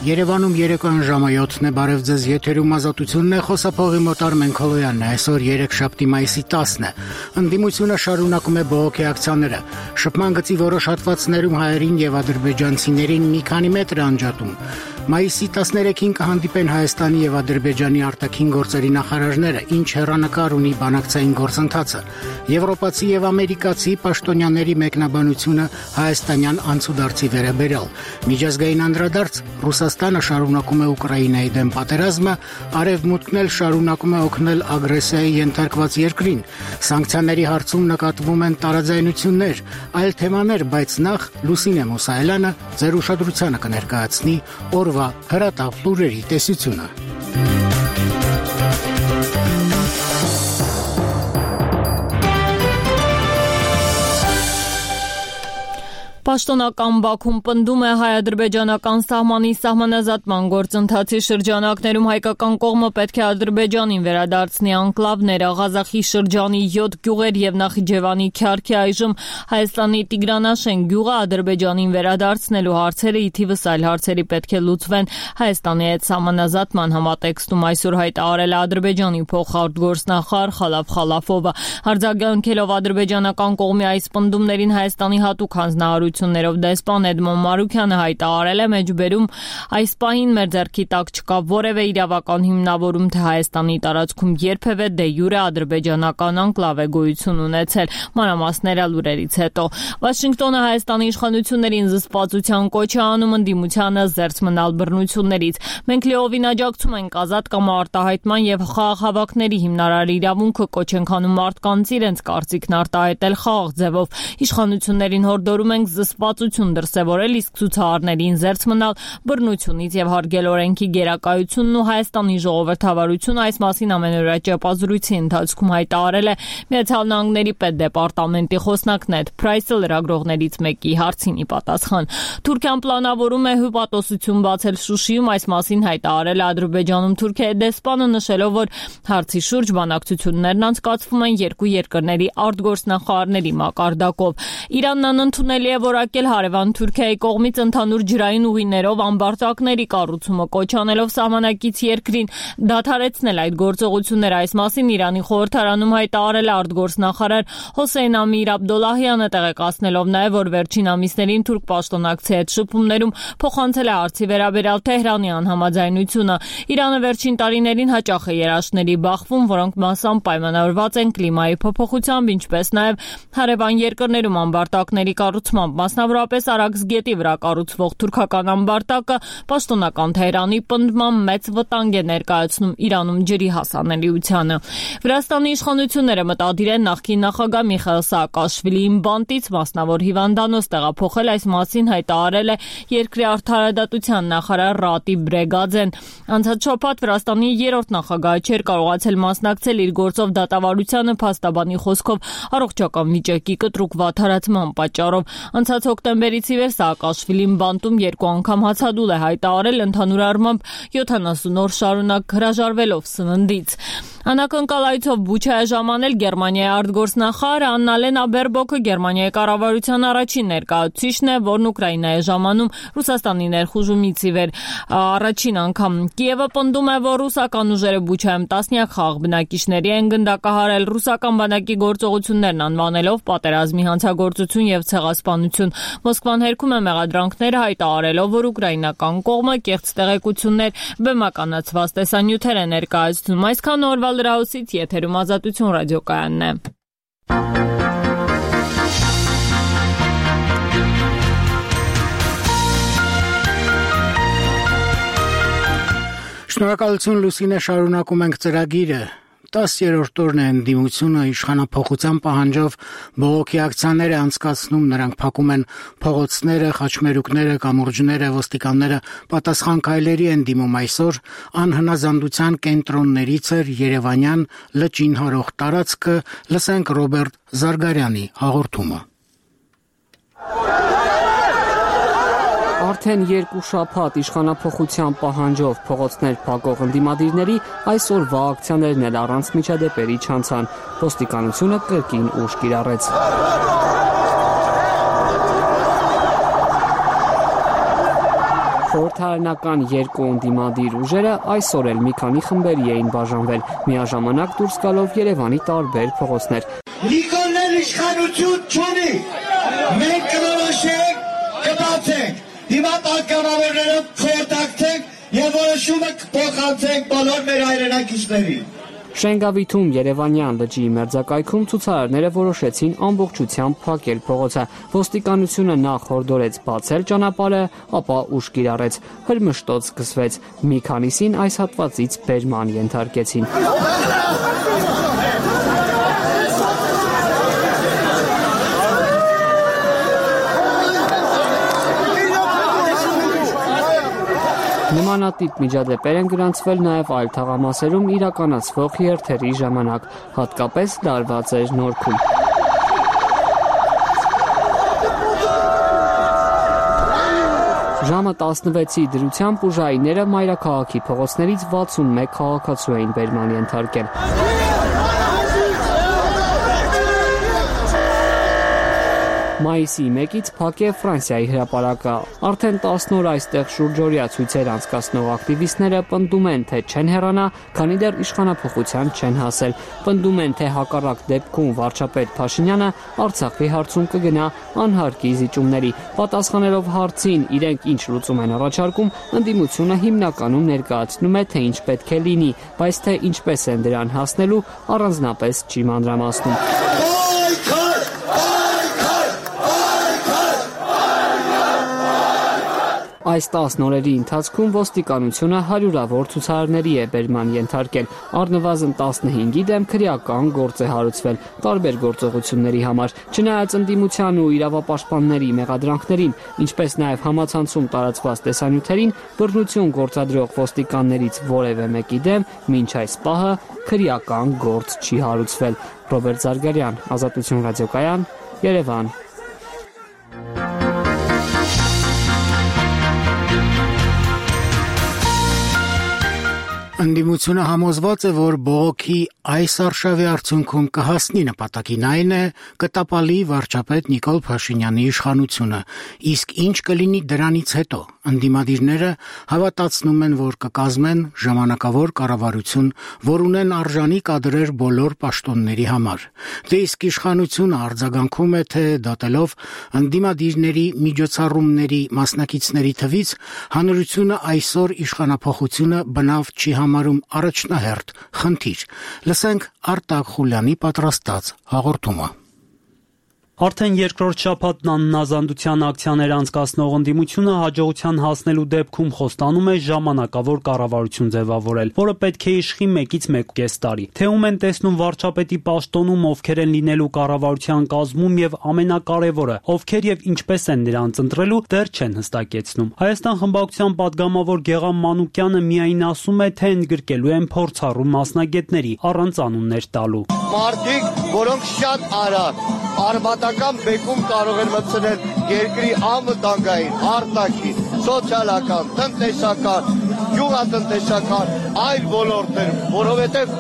Երևանում երեկոյան ժամը 7-ն է, բարև ձեզ, եթերում Ազատությունն է, խոսափողի մոտ Արմեն Քոլոյանն է, այսօր 3 մայիսի 10-ն է, ընդդիմությունը շարունակում է բողոքի ակցիաները, շփման գծի որոշ հատվածներում հայերին եւ ադրբեջանցիներին մի քանի մետր անջատում, մայիսի 13-ին կհանդիպեն Հայաստանի եւ Ադրբեջանի արտաքին գործերի նախարարները, ինչ հեռանկար ունի բանակցային գործընթացը, եվրոպացի եւ ամերիկացի պաշտոնյաների մեկնաբանությունը հայաստանյան անցուդարձի վերաբերյալ, միջազգային անդրադարձ Ռուսաստանը շարունակում է Ուկրաինայի դեմ պատերազմը, Արևմուտքն էլ շարունակում է օգնել ագրեսիայի ենթարկված երկրին, սանկցիաների հարցում նկատվում են տարաձայնություններ, այլ թեմաներ, բայց նախ Լուսինե Մուսայելյանը ձեր ուշադրությանը կներկայացնի օրվա հրատապ լուրերի տեսությունը։ Պաշտոնական Բաքուն պնդում է հայ-ադրբեջանական սահմանի սահմանազատման գործընթացի շրջանակներում հայկական կողմը պետք է Ադրբեջանին վերադարձնի անկլավները, Ղազախի շրջանի 7 գյուղեր եւ Նախիջևանի Քյարքի այժմ Հայաստանի Տիգրանաշեն գյուղը Ադրբեջանին վերադարձնելու հարցերը ի թիվս այլ հարցերի պետք է լուծվեն Հայաստանի հետ սահմանազատման համատեքստում այսօր հայտարարել է Ադրբեջանի փոխարտգործնախարար Խալաֆ Խալաֆովը, արձագանքելով ադրբեջանական կողմի այս պնդումներին Հայաստանի հատուկ հանձնարարություններով դեսպան Էդմոն Մարուքյանը հայտարարել է մեջբերում այս պահին մեր ձեռքի տակ չկա որևէ իրավական հիմնավորում, թե Հայաստանի տարածքում երբևէ դե յուրե ադրբեջանական անկլավ է գոյություն ունեցել, մանրամասները լուրերից հետո։ Վաշինգտոնը Հայաստանի իշխանություններին զսպվածության կոչ է անում ընդդիմությանը զերծ մնալ բռնություններից։ Մենք լիովին աջակցում ենք ազատ կամ արտահայտման եւ խաղաղ հավաքների հիմնարար իրավունքը, կոչ ենք անում մարդկանց իրենց կարծիքն արտահայտել խաղաղ ձևով։ Իշխանություններին հորդորում ենք զսպվածություն դրսևորել, իսկ ցուցարարներին զերծ մնալ բռնությունից եւ հարգել օրենքի գերակայությունն ու Հայաստանի ժողովրդավարությունը այս մասին ամենօրյա ճեպազրույցի ընթացքում հայտարարել է Միացյալ Նահանգների պետդեպարտամենտի խոսնակ Նեդ Փրայսը լրագրողներից մեկի հարցին ի պատասխան։ Թուրքիան պլանավորում է հյուպատոսություն բացել Շուշիում, այս մասին հայտարարել է Ադրբեջանում Թուրքիայի դեսպանը, նշելով, որ հարցի շուրջ բանակցություններն անցկացվում են երկու երկրների արտգործնախարարների մակարդակով։ Իրանն անընդունելի է որակել հարևան Թուրքիայի կողմից ընդհանուր ջրային ուղիներով ամբարտակների կառուցումը, կոչ անելով սահմանակից երկրին դադարեցնել այդ գործողությունները։ Այս մասին Իրանի խորհրդարանում հայտարարել է արտգործնախարար Հոսեյն Ամիր Աբդոլլահյանը, տեղեկացնելով նաև, որ վերջին ամիսներին թուրք պաշտոնակցի հետ շփումներում փոխանցել է հարցի վերաբերյալ Թեհրանի անհամաձայնությունը։ Իրանը վերջին տարիներին հաճախ է երաշտների բախվում, որոնք մասամբ պայմանավորված են կլիմայի փոփոխությամբ, ինչպես նաև հարևան երկրներում ամբարտակների կառուցմամբ, մասնավորապես Արաքս գետի վրա կառուցվող թուրքական ամբարտակը պաշտոնական Թեհրանի պնդմամբ մեծ վտանգ է ներկայացնում Իրանում ջրի հասանելիությանը։ Վրաստանի իշխանությունները մտադիր են նախկին նախագահ Միխայիլ Սաակաշվիլիին բանտից մասնավոր հիվանդանոց տեղափոխել, այս մասին հայտարարել է երկրի արդարադատության նախարար Ռատիբ Բրեգաձեն։ Անցած շաբաթ Վրաստանի երրորդ նախագահը չէր կարողացել մասնակցել իր գործով դատավարությանը փաստաբանի խոսքով առողջական վիճակի կտրուկ վատթարացման պատճառով։ Անցած հոկտեմբերից ի վեր Սաակաշվիլին բանտում երկու անգամ հացադուլ է հայտարարել, ընդհանուր առմամբ 70 օր շարունակ հրաժարվելով սննդից։ Անակնկալայցով Բուչա է ժամանել Գերմանիայի արտգործնախարար Աննալենա Բերբոկը, Գերմանիայի կառավարության առաջին ներկայացուցիչն է, որն Ուկրաինա է ժամանում Ռուսաստանի ներխուժումից ի վեր առաջին անգամ։ Կիևը պնդում է, որ ռուսական ուժերը Բուչայում տասնյակ խաղաղ բնակիչների են գնդակահարել, ռուսական բանակի գործողություններն անվանելով պատերազմի հանցագործություն եւ ցեղասպանություն։ Մոսկվան հերքում է մեղադրանքները, հայտարարելով, որ ուկրաինական կողմը կեղծ տեղեկություններ, բեմականացված տեսանյութեր է ներկայացնում։ Այսքան օրվա լրահոսից եթերում Ազատություն ռադիոկայանն է։ Շնորհակալություն Լուսինե, շարունակում ենք ծրագիրը։ 10-րդ օրն է ընդդիմությունը իշխանափոխության պահանջով բողոքի ակցիաներ է անցկացնում, նրանք փակում են փողոցները, խաչմերուկները, կամուրջները, ոստիկանները պատասխան քայլերի են դիմում այսօր անհնազանդության կենտրոններից էր Երևանյան լճին հարող տարածքը, լսենք Ռոբերտ Զարգարյանի հաղորդումը։ Արդեն երկու շաբաթ իշխանափոխության պահանջով փողոցներ փակող ընդդիմադիրների այսօրվա ակցիաներն էլ առանց միջադեպերի չանցան։ Ոստիկանությունը կրկին ուժ կիրառեց։ Խորհրդարանական երկու ընդդիմադիր ուժերը այսօր էլ մի քանի խմբերի էին բաժանվել, միաժամանակ դուրս գալով Երևանի տարբեր փողոցներ։ Նիկոլն իշխանություն չունի, մենք կորոշենք, կբացենք, հիմա պատգամավորները կխորհրդակցենք եւ որոշումը կփոխանցենք բոլոր մեր հայրենակիցներին։ Շենգավիթում Երևանյան լճի մերձակայքում ցուցարարները որոշեցին ամբողջությամբ փակել փողոցը։ Ոստիկանությունը նախ հորդորեց բացել ճանապարհը, ապա ուժ կիրառեց։ Հրմշտոց սկսվեց։ Մի քանիսին այս հատվածից բերման ենթարկեցին։ Նմանատիպ միջադեպեր են գրանցվել նաև այլ թաղամասերում իրականացվող երթերի ժամանակ, հատկապես լարված էր Նորքում։ Ժամը 16-ի դրությամբ ուժայինները մայրաքաղաքի փողոցներից 61 քաղաքացու էին բերման ենթարկել։ Մայիսի 1-ից փակ է Ֆրանսիայի հրապարակը։ Արդեն 10 օր այստեղ շուրջօրյա ցույցեր անցկացնող ակտիվիստները պնդում են, թե չեն հեռանա, քանի դեռ իշխանափոխության չեն հասել։ Պնդում են, թե հակառակ դեպքում վարչապետ Փաշինյանը Արցախի հարցում կգնա անհարկի զիջումների։ Պատասխանելով հարցին, իրենք ինչ լուծում են առաջարկում, ընդդիմությունը հիմնականում ներկայացնում է, թե ինչ պետք է լինի, բայց թե ինչպես են դրան հասնելու, առանձնապես չի մանրամասնում։ Այս 10 օրերի ընթացքում ոստիկանությունը հարյուրավոր ցուցարարների է բերման ենթարկել։ Առնվազն 15-ի դեմ քրեական գործ է հարուցվել տարբեր գործողությունների համար։ Չնայած ընդդիմության ու իրավապաշտպանների մեղադրանքներին, ինչպես նաև համացանցում տարածված տեսանյութերին, բռնություն գործադրող ոստիկաններից որևէ մեկի դեմ մինչ այս պահը քրեական գործ չի հարուցվել։ Ռոբերտ Զարգարյան, Ազատություն ռադիոկայան, Երևան։ Ընդդիմությունը համոզված է, որ բողոքի այս արշավի արդյունքում կհասնի նպատակին, այն է կտապալի վարչապետ Նիկոլ Փաշինյանի իշխանությունը, իսկ ինչ կլինի դրանից հետո։ Ընդդիմադիրները հավատացնում են, որ կկազմեն ժամանակավոր կառավարություն, որ ունեն արժանի կադրեր բոլոր պաշտոնների համար։ Դե իսկ իշխանությունը արձագանքում է, թե դատելով ընդդիմադիրների միջոցառումների մասնակիցների թվից հանրությունը այսօր իշխանափոխությունը բնավ չի համարում առաջնահերթ խնդիր։ Լսենք Արտակ Խուլյանի պատրաստած հաղորդումը։ Արդեն երկրորդ շաբաթն աննազանդության ակցիաներ անցկացնող ընդդիմությունը հաջողության հասնելու դեպքում խոստանում է ժամանակավոր կառավարություն ձևավորել, որը պետք է իշխի 1-ից 1.5 տարի։ Թե ում են տեսնում վարչապետի պաշտոնում, ովքեր են լինելու կառավարության կազմում եւ ամենակարևորը, ովքեր եւ ինչպես են նրանց ընտրելու, դեռ չեն հստակեցնում։ Հայաստան խմբակցության падգամավոր Գեղամ Մանուկյանը միայն ասում է, թե ընդգրկելու են փորձառու մասնագետների, առանց անուններ տալու։ Մարդիկ, որոնք շատ արագ արմատական բեկում կարող են մտցնել երկրի անվտանգային, արտաքին, սոցիալական, տնտեսական, գյուղատնտեսական, այլ ոլորտներում, որովհետև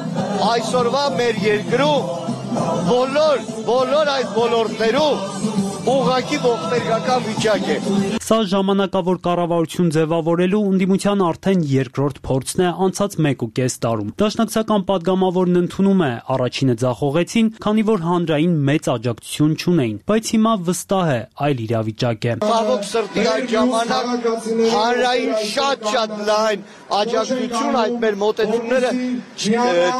այսօրվա մեր երկրում բոլոր այդ ոլորտներում ուղղակի ողբերգական վիճակ է։ Սա ժամանակավոր կառավարություն ձևավորելու ընդդիմության արդեն երկրորդ փորձն է անցած 1.5 տարում։ Դաշնակցական падգամավորն ընդունում է, առաջինը ձախողեցին, քանի որ հանրային մեծ աջակցություն չունեին, բայց հիմա վստահ է, այլ իրավիճակ է։ Ցավոք սրտի այդ ժամանակ հանրային շատ լայն աջակցություն այդ մեր մոտեցումները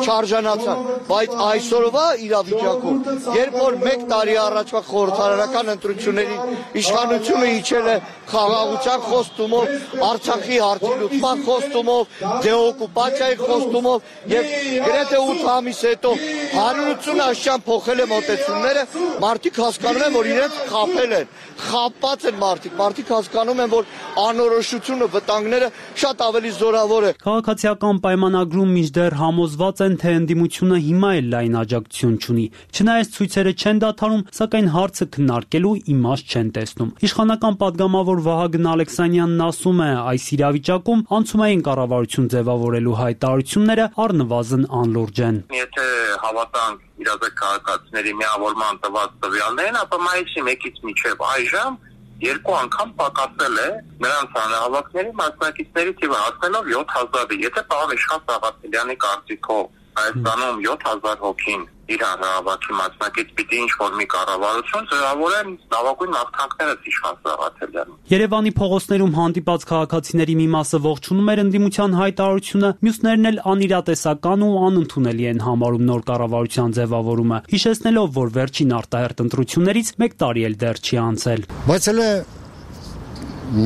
չարժանացան, բայց այսօրվա իրավիճակում, երբ որ 1 տարի առաջվա խորհրդարանական ընտրությունների իշխանությունը իջել է խաղաղության խոստումով, Արցախի հարցի լուծման խոստումով, դեօկուպացիայի խոստումով եւ գրեթե 8 ամիս հետո 180 աշճան փոխել է մոտեցումները, մարդիկ հասկանում են, որ իրենց խաբել են, խաբված են մարդիկ հասկանում են, որ անորոշությունը, վտանգները շատ ավելի զորավոր է։ Քաղաքացիական պայմանագրում մինչդեռ համոզված են, թե ընդդիմությունը հիմա էլ լայն աջակցություն չունի։ Չնայած ցույցերը չեն դադարում, սակայն հարցը քննարկելու իմաստ չեն տեսնում։ Իշխանական падգամավոր Վահագն Ալեքսանյանն ասում է, այս իրավիճակում անցումային կառավարություն ձևավորելու հայտարարությունները առնվազն անլուրջ են։ Եթե հավատանք իրազեկ քաղաքացիների միավորման տված տվյալներին, ապա մայիսի 1-ից մինչև այժմ 2 անգամ պակասել է նրանց հանրահավաքների մասնակիցների թիվը, հասնելով 7000-ի։ Եթե պարոն Իշխան Սաղաթելյանի կարծիքով Հայաստանում 7000 հոգին իր հանրահավաքի մասնակից պիտի ինչ-որ մի կառավարություն ձևավորեն, լավագույն նախթանքները Իշխան Սաղաթելյանին։ Երևանի փողոցներում հանդիպած քաղաքացիների մի մասը ողջունում էր ընդդիմության հայտարարությունը, մյուսներն էլ անիրատեսական ու անընդունելի են համարում նոր կառավարության ձևավորումը, հիշեցնելով, որ վերջին արտահերթ ընտրություններից 1 տարի էլ դեռ չի անցել։ Բայց հələ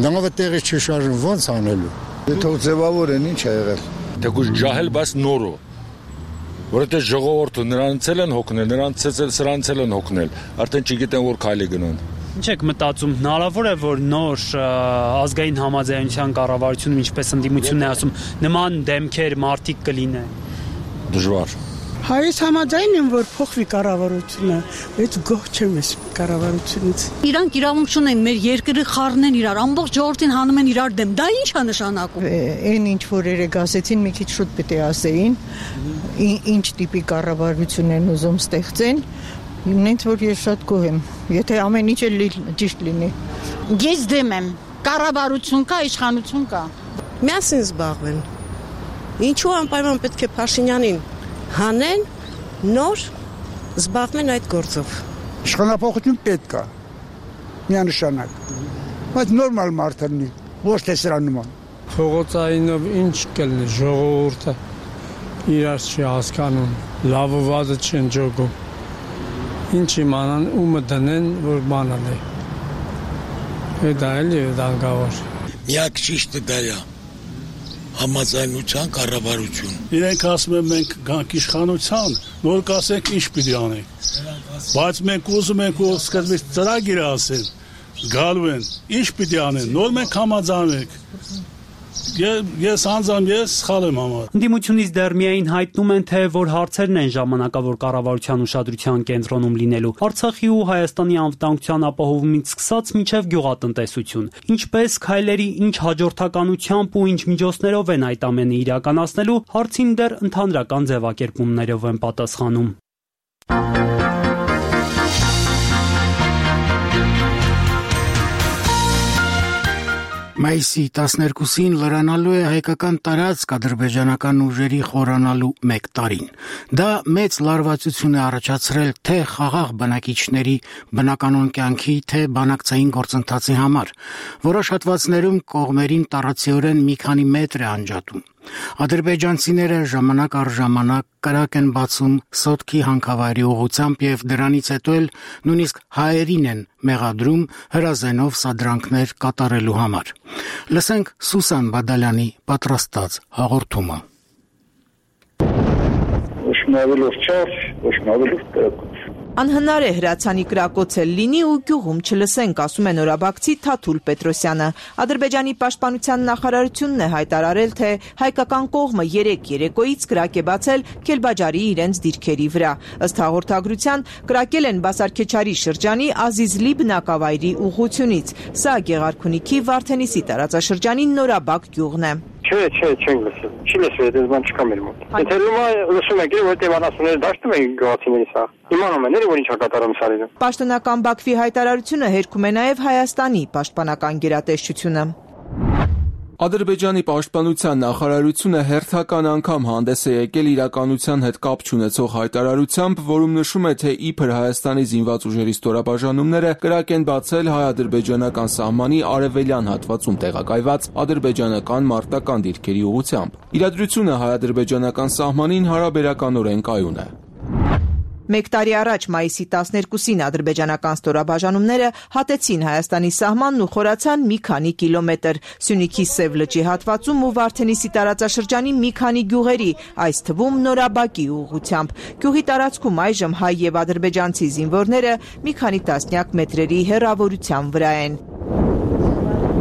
նավը տեղի չի շարժվում, ո՞նց անելու։ Թող ձևավորեն, ինչ է եղել։ Թեկուզ ջահել, բայց նորո։ Որովհետեւ ժողովուրդը նրանց են հոգնել, նրանց սրանց են հոգնել, արդեն չգիտեն որ քայլի գնան։ Ինչ եք մտածում, հնարավոր է որ նոր ազգային համաձայնության կառավարությունը, ինչպես ընդդիմությունն է ասում, նման դեմքեր մարդիկ կլինեն։ Դժվար։ Հայոց համաձայն են, որ փոխվի կառավարությունը, բայց գոհ չեմ ես կառավարությունից։ Իրանք իրավունք չունեն մեր երկրի խառնեն իրար, ամբողջ ժողովրդին հանում են իրար դեմ։ Դա ի՞նչ է նշանակում։ Այն ինչ որ երեք ասեցին, մի քիչ շուտ պետք է ասեին, ինչ տիպի կառավարություն են ուզում ստեղծեն։ Ինձ որ ես շատ գոհ եմ, եթե ամեն ինչ ճիշտ լինի։ Ես դեմ եմ։ Կառավարություն կա, իշխանություն կա։ Միասին զբաղվեն։ Ինչու անպայման պետք է Փաշինյանին հանեն, նոր զբաղվեն այդ գործով։ Իշխանապողություն պետք է, միանշանակ, բայց նորմալ մարդ լինի, ոչ թե սրա նման։ Փողոցայինով ինչ կլինի, ժողովուրդը իրար չի հասկանում, լավը վազը չեն ջոգում, ինչ իմանան, ումը դնեն, որ բանալ է, դա էլի է դանգավոր։ Միակ ճիշտը դա է, համաձայնության կառավարություն։ Իրենք ասում են մենք գանք իշխանության, նոր կասենք ինչ պիտի անենք։ Բայց մենք ուզում ենք որ սկզբից ծրագիր ասեն, գալու են, ինչ պիտի անեն, նոր մենք համաձայնենք։ Ես անձամբ սխալ եմ համարում։ Ընդդիմությունից դեռ միայն հայտնում են, թե որ հարցերն են ժամանակավոր կառավարության ուշադրության կենտրոնում լինելու։ Արցախի ու Հայաստանի անվտանգության ապահովումից սկսած մինչև գյուղատնտեսություն։ Ինչպես քայլերի ինչ հաջորդականությամբ ու ինչ միջոցներով են այդ ամենը իրականացնելու, հարցին դեռ ընդհանրական ձևակերպումներով են պատասխանում։ Մայիսի 12-ին լրանալու է հայկական տարածք ադրբեջանական ուժերի խորանալու 1 տարին։ Դա մեծ լարվածություն է առաջացրել թե խաղաղ բնակիչների բնականոն կյանքի, թե բանակցային գործընթացի համար։ Որոշ հատվածներում կողմերին տառացիորեն մի քանի մետր է անջատում։ Ադրբեջանցիները ժամանակ առ ժամանակ կրակ են բացում Սոտքի հանքավայրի ուղղությամբ եւ դրանից հետո էլ նույնիսկ հայերին են մեղադրում հրազենով սադրանքներ կատարելու համար։ Լսենք Սուսան Բադալյանի պատրաստած հաղորդումը։ Անհնար է հրացանի կրակոցել լինի ու գյուղում չլսենք, ասում է նորաբակցի Թաթուլ Պետրոսյանը։ Ադրբեջանի պաշտպանության նախարարությունն է հայտարարել, թե հայկական կողմը 3 երեկոյից կրակ է բացել Քելբաջարի իրենց դիրքերի վրա։ Ըստ հաղորդագրության կրակել են Բասարքեչարի շրջանի Ազիզլի բնակավայրի ուղղությունից։ Սա Գեղարքունիքի Վարդենիսի տարածաշրջանի Նորաբակ գյուղն է։ Չենք լսել։ Չի լսվել, դες բան չկա մեր մոտ։ Եթե լսում եք, որտեղ անասունները դաշտում են գյուղացիների սա։ Իմանում են, որ ինչ է կատարում սարերը։ Պաշտոնական Բաքվի հայտարարությունը հերքում է նաև Հայաստանի պաշտպանական գերատեսչությունը։ Ադրբեջանի պաշտպանության նախարարությունը հերթական անգամ հանդես է եկել իրականության հետ կապ չունեցող հայտարարությամբ, որում նշում է, թե իբր Հայաստանի զինված ուժերի ստորաբաժանումները կրակ են բացել հայ-ադրբեջանական սահմանի արևելյան հատվածում տեղակայված ադրբեջանական մարտական դիրքերի ուղղությամբ։ Իրադրությունը հայ-ադրբեջանական սահմանին հարաբերականորեն կայուն է։ 1 տարի առաջ մայիսի 12-ին ադրբեջանական ստորաբաժանումները հատեցին Հայաստանի սահմանն ու խորացան մի քանի կիլոմետր Սյունիքի Սև լճի հատվածում ու Վարդենիսի տարածաշրջանի մի քանի գյուղերի, այս թվում Նորաբակի ուղղությամբ։ Գյուղի տարածքում այժմ հայ եւ ադրբեջանցի զինվորները մի քանի տասնյակ մետրերի հեռավորության վրա են։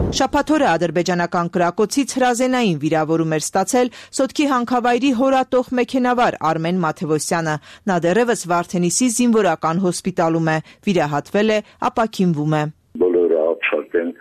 Շաբաթ օրը ադրբեջանական կրակոցից հրազենային վիրավորում էր ստացել Սոտքի հանքավայրի հորատող մեքենավար Արմեն Մաթևոսյանը։ Նա դեռևս Վարդենիսի զինվորական հոսպիտալում է, վիրահատվել է, ապաքինվում է։ Բոլորը ապշած են,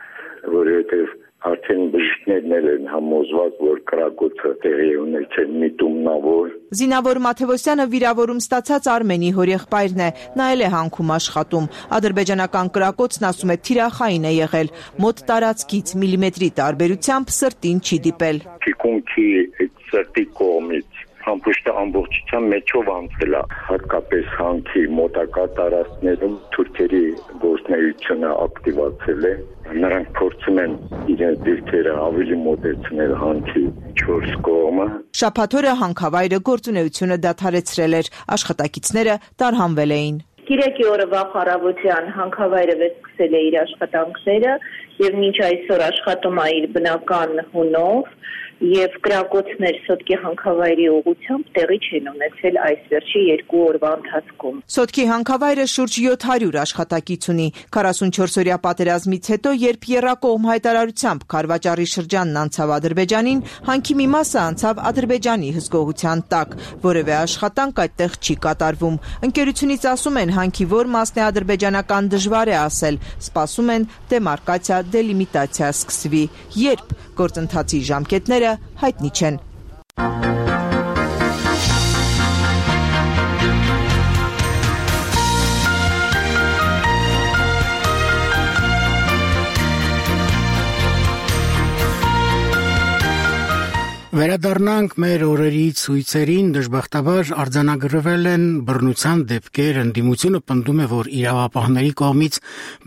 որովհետև արդեն բժիշկներն են համոզված, որ կրակոցը տեղի ունեցել միտումնավոր։ Զինավոր Մաթևոսյանը վիրավորում ստացած Արմենի հորեղբայրն է, նա էլ է հանքում աշխատում։ Ադրբեջանական կրակոցն ասում է թիրախային է եղել, մոտ տարածքից միլիմետրի տարբերությամբ սրտին չի դիպել։ Թիկունքի սրտի կողմից ամբողջ ամբողջության մեջով անցել է, հատկապես հանքի մոտակա տարածքներում թուրքերի գործունեությունը ակտիվացել է։ Նրանք փորձում են իրենց դիրքերը ավելի մոտեցնել հանքի 4 կողմը։ Շաբաթ օրը հանքավայրը գործունեությունը դադարեցրել էր, աշխատակիցները տարհանվել էին։ Կիրակի օրը վաղ առավոտյան հանքավայրը վերսկսել է իր աշխատանքները եւ մինչ այսօր աշխատում է իր բնական հունով եւ կրակոցներ Սոտկի հանքավայրի ուղղությամբ տեղի չեն ունեցել այս վերջի 2 օրվա ընթացքում։ Սոտկի հանքավայրը շուրջ 700 աշխատակից ունի։ 44-օրյա պատերազմից հետո, երբ եռակողմ հայտարարությամբ Քարվաճառի շրջանն անցավ Ադրբեջանին, հանքի մի մասը անցավ Ադրբեջանի հսկողության տակ։ Որևէ աշխատանք այդտեղ չի կատարվում։ Ընկերությունից ասում են, հանքի որ մասն է ադրբեջանական դժվար է ասել։ Սպասում են դեմարկացիա, դելիմիտացիա սկսվի։ Երբ գործընթացի ժամկետները հայտնի չեն։ Վերադառնանք մեր օրերի ցույցերին, դժբախտաբար արձանագրվել են բռնության դեպքեր, ընդդիմությունը պնդում է, որ իրավապահների կողմից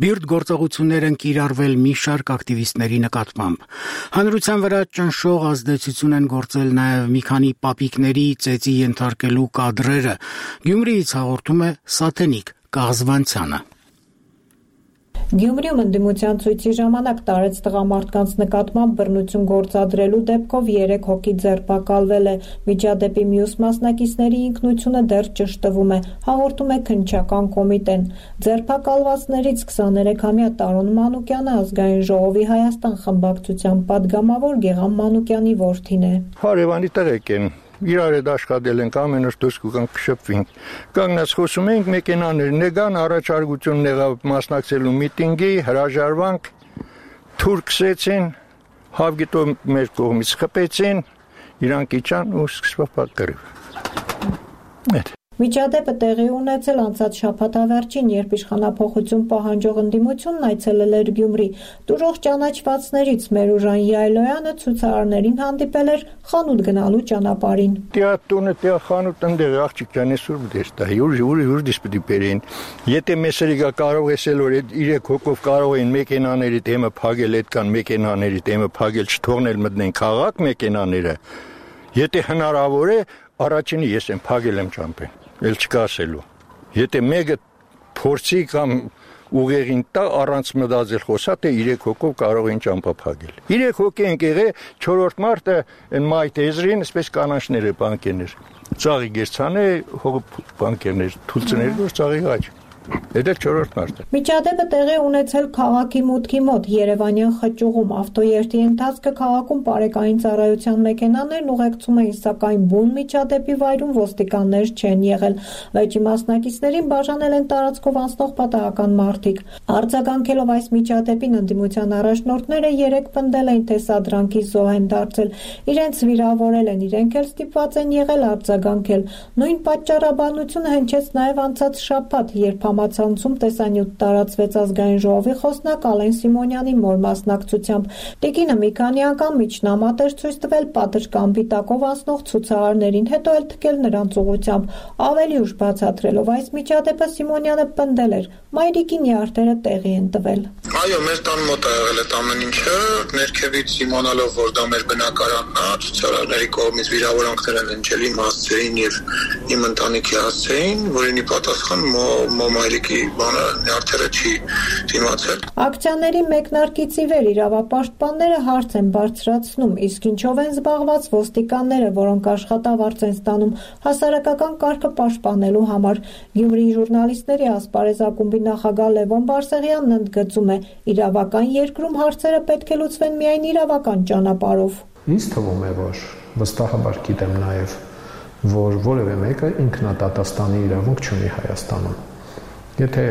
բիրտ գործողություններ են կիրառվել մի շարք ակտիվիստների նկատմամբ։ Հանրության վրա ճնշող ազդեցություն են գործել նաև մի քանի պապիկների ծեծի ենթարկելու կադրերը։ Գյումրիից հաղորդում է Սաթենիկ Կաղզվանցյանը։ Գյումրիում ընդդիմության ցույցի ժամանակ տարեց տղամարդկանց նկատմամբ բռնություն գործադրելու դեպքով 3 հոգի ձերբակալվել է։ Միջադեպի մյուս մասնակիցների ինքնությունը դեռ ճշտվում է, հաղորդում է քննչական կոմիտեն։ Ձերբակալվածներից 23-ամյա Տարոն Մանուկյանը Ազգային ժողովի Հայաստան խմբակցության падգամավոր Գեղամ Մանուկյանի որդին է։ Հարևանի տղեկ են։ Իրար հետ աշխատել ենք, ամեն օր դուրս կգանք կշփվենք։ Կանգնած խոսում ենք, մեքենաներ նեգան, առաջարկություն եղավ մասնակցելու միտինգի, հրաժարվանք, թուրքսեցին, հավգիտո մեր կողմից խփեցին, իրանք իջան ու սկսվավ պատկերով։ Միջադեպը տեղի ունեցել անցած շաբաթավերջին, երբ իշխանափոխություն պահանջող ընդդիմությունն այցելել էր Գյումրի։ Տուրող ճանաչվածներից Մերուժան Յայլոյանը ցուցարարներին հանդիպել էր խանութ գնալու ճանապարհին։ Տեատրոնը, խանութ ընդեղ աղջիկ ջան, այսօր դες դա յուր դիսպիտի բերին։ Եթե մեսերիգա կարող էսել որ 3 հոգով կարող էին մեքենաների դեմը փակել, այդքան մեքենաների դեմը փակել, չթողնել մտնեն քաղաք մեքենաները։ Եթե հնարավոր է, առաջինի ես եմ փակել եմ ճամփեն։ Էլ չկա ասելու։ Եթե մեկը փորձի կամ ուղեղին տա առանց մտածել խոսա, թե 3 հոգով կարող են ճամփա փակել։ 3 հոգի են եղել, 4-րդ մարտը այն մայթ եզրին, այսպես կանանչները բանկերներ։ Ծաղի գերցանը բանկերներ, թուլցներ որ ծաղի գաչ։ Դա 4-րդ մարտը։ Միջադեպը տեղի ունեցել քաղաքի մուտքի մոտ Երևանյան խճուղում ավտոերթի ընթացքը քաղաքում բարեկային ծառայության մեքենաներն ուղեկցում էին, սակայն բուն միջադեպի վայրում ոստիկաններ չեն եղել։ Վեճի մասնակիցներին բաժանել են տարածքով անցնող պատահական մարդիկ։ Արձագանքելով այս միջադեպին ընդդիմության առաջնորդները 3 պնդել են, թե սադրանքի զոհ են դարձել։ Իրենց վիրավորել են, իրենք էլ ստիպված են եղել արձագանքել։ Նույն պատճառաբանությունը հնչեց նաև անցած շաբաթ, երբ համացանցում տեսանյութ տարածվեց Ազգային ժողովի խոսնակ Ալեն Սիմոնյանի մոր մասնակցությամբ։ Տիկինը մի քանի անգամ միջնամատ էր ցույց տվել պատշգամբի տակով անցնող ցուցարարներին, հետո էլ թքել նրանց ուղղությամբ։ Ավելի ուշ բացատրելով այս միջադեպը Սիմոնյանը պնդել էր. մայրիկի նյարդերը տեղի են տվել։ Այո, մեր տան մոտ է եղել այդ ամեն ինչը, ներքևից իմանալով, որ դա մեր բնակարանն է, ցուցարարների կողմից վիրավորանքներ են ընջել իմ հասցեին եւ իմ ընտանիքի հասցեին, որին ի պատասխան մայրիկի բանը նյարդերը չի դիմացել։ Ակցիաների մեկնարկից ի վեր իրավապաշտպանները հարց են բարձրացնում, իսկ ինչով են զբաղված ոստիկանները, որոնք աշխատավարձ են ստանում հասարակական կարգը պաշտպանելու համար։ Գյումրիի ժուրնալիստների ասպարեզակումբի նախագահ Լևոն Բարսեղյանն ընդգծում է, իրավական երկրում հարցերը պետք է լուծվեն միայն իրավական ճանապարհով։ Ինձ թվում է, որ վստահաբար գիտեմ նաև, որ որևէ մեկը ինքնադատաստանի իրավունք չունի Հայաստանում։ Եթե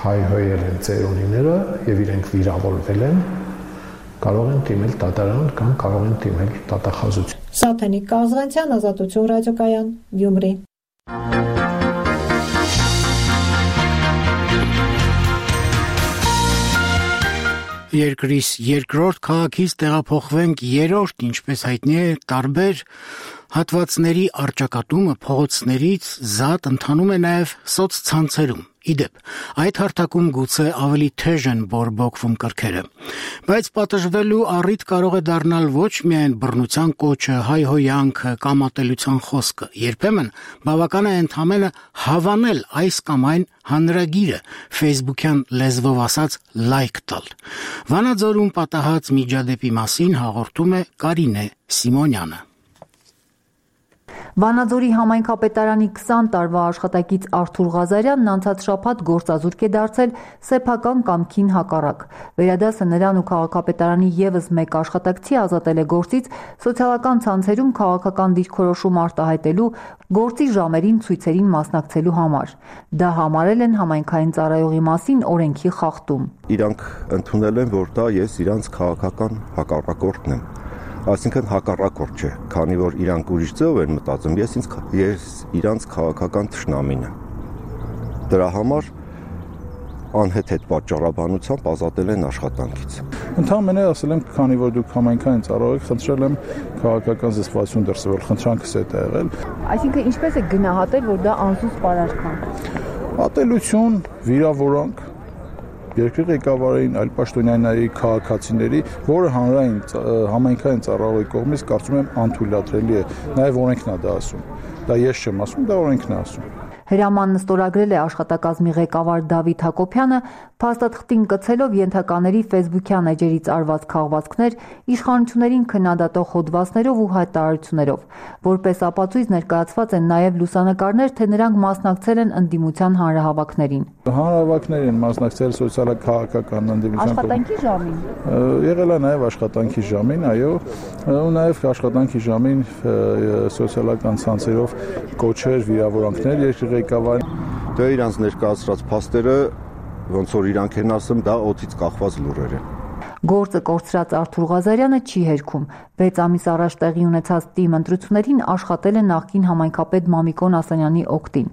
հայհոյել են ծերունիները եւ իրենք վիրավորվել են, կարող են դիմել դատարան կամ կարող են դիմել դատախազություն։ Սաթենիկ Կազղանցյան, Ազատություն ռադիոկայան, Գյումրի։ Երկրիս երկրորդ քաղաքից տեղափոխվենք երրորդ, ինչպես հայտնի է, տարբեր հատվածների առճակատումը փողոցներից զատ ընթանում է նաև սոցցանցերում։ Իդեպ, այդ հարթակում գուցե ավելի թեժ են բորբոքվում կրքերը, բայց պատժվելու առիթ կարող է դառնալ ոչ միայն բռնության կոչը, հայհոյանքը կամ ատելության խոսքը, երբեմն բավական է ընդամենը հավանել այս կամ այն հանրագիրը, ֆեյսբուքյան լեզվով ասած լայք տալ։ Վանաձորում պատահած միջադեպի մասին հաղորդում է Կարինե Սիմոնյանը։ Վանաձորի համայնքապետարանի 20 տարվա աշխատակից Արթուր Ղազարյանն անցած շաբաթ գործազուրկ է դարձել սեփական կամքին հակառակ։ Վերադասը նրան ու քաղաքապետարանի եւս մեկ աշխատակցի ազատել է գործից սոցիալական ցանցերում քաղաքական դիրքորոշում արտահայտելու, գործի ժամերին ցույցերին մասնակցելու համար։ Դա համարել են համայնքային ծառայողի մասին օրենքի խախտում։ Իրանք ընդունել են, որ դա ես իրանց քաղաքական հակառակորդն եմ։ Այսինքն հակառակորդ չէ, քանի որ իրանք ուրիշ ձև են մտածում, ես իրանց քաղաքական թշնամին եմ։ Դրա համար անհեթեթ պատճառաբանությամբ ազատել են աշխատանքից։ Ընդհանրապես ասել եմ, քանի որ դուք համայնքային ծառայող եք, խնդրել եմ քաղաքական զսպվածություն դրսևորել, խնդրանքս է դա եղել։ Այսինքն ինչպես է գնահատել, որ դա անզուսպ արարքան։ Ատելություն, վիրավորանք երկրի ղեկավարին, այլ պաշտոնյաների, քաղաքացիների, որը հանրային համայնքային ծառայողի կողմից կարծում եմ անթույլատրելի է, նաև օրենքն է դա ասում։ Դա ես չեմ ասում, դա օրենքն է ասում։ Հրամանն ստորագրել է աշխատակազմի ղեկավար Դավիթ Հակոբյանը, փաստաթղթին կցելով ենթակաների ֆեյսբուքյան էջերից արված քաղվածքներ, իշխանություններին քննադատող հոդվածներով ու հայտարարություններով։ Որպես ապացույց ներկայացված են նաև լուսանկարներ, թե նրանք մասնակցել են ընդդիմության հանրահավաքներին։ Հանրահավաքներ են մասնակցել սոցիալ-քաղաքական ընդդիմության աշխատանքի ժամին։ Եղել է նաև աշխատանքի ժամին, այո, ու նաև աշխատանքի ժամին սոցիալական ցանցերով կոչեր, վիրավորանքներ երկրի ղեկավարին։ Դա իրանց ներկայացրած փաստերը ոնց որ իրանք են ասում, դա օդից կախված լուրեր են։ Գործը կորցրած Արթուր Ղազարյանը չի հերքում։ 6 ամիս առաջ տեղի ունեցած ՏԻՄ ընտրություններին աշխատել է նախկին համայնքապետ Մամիկոն Ասանյանի օգտին։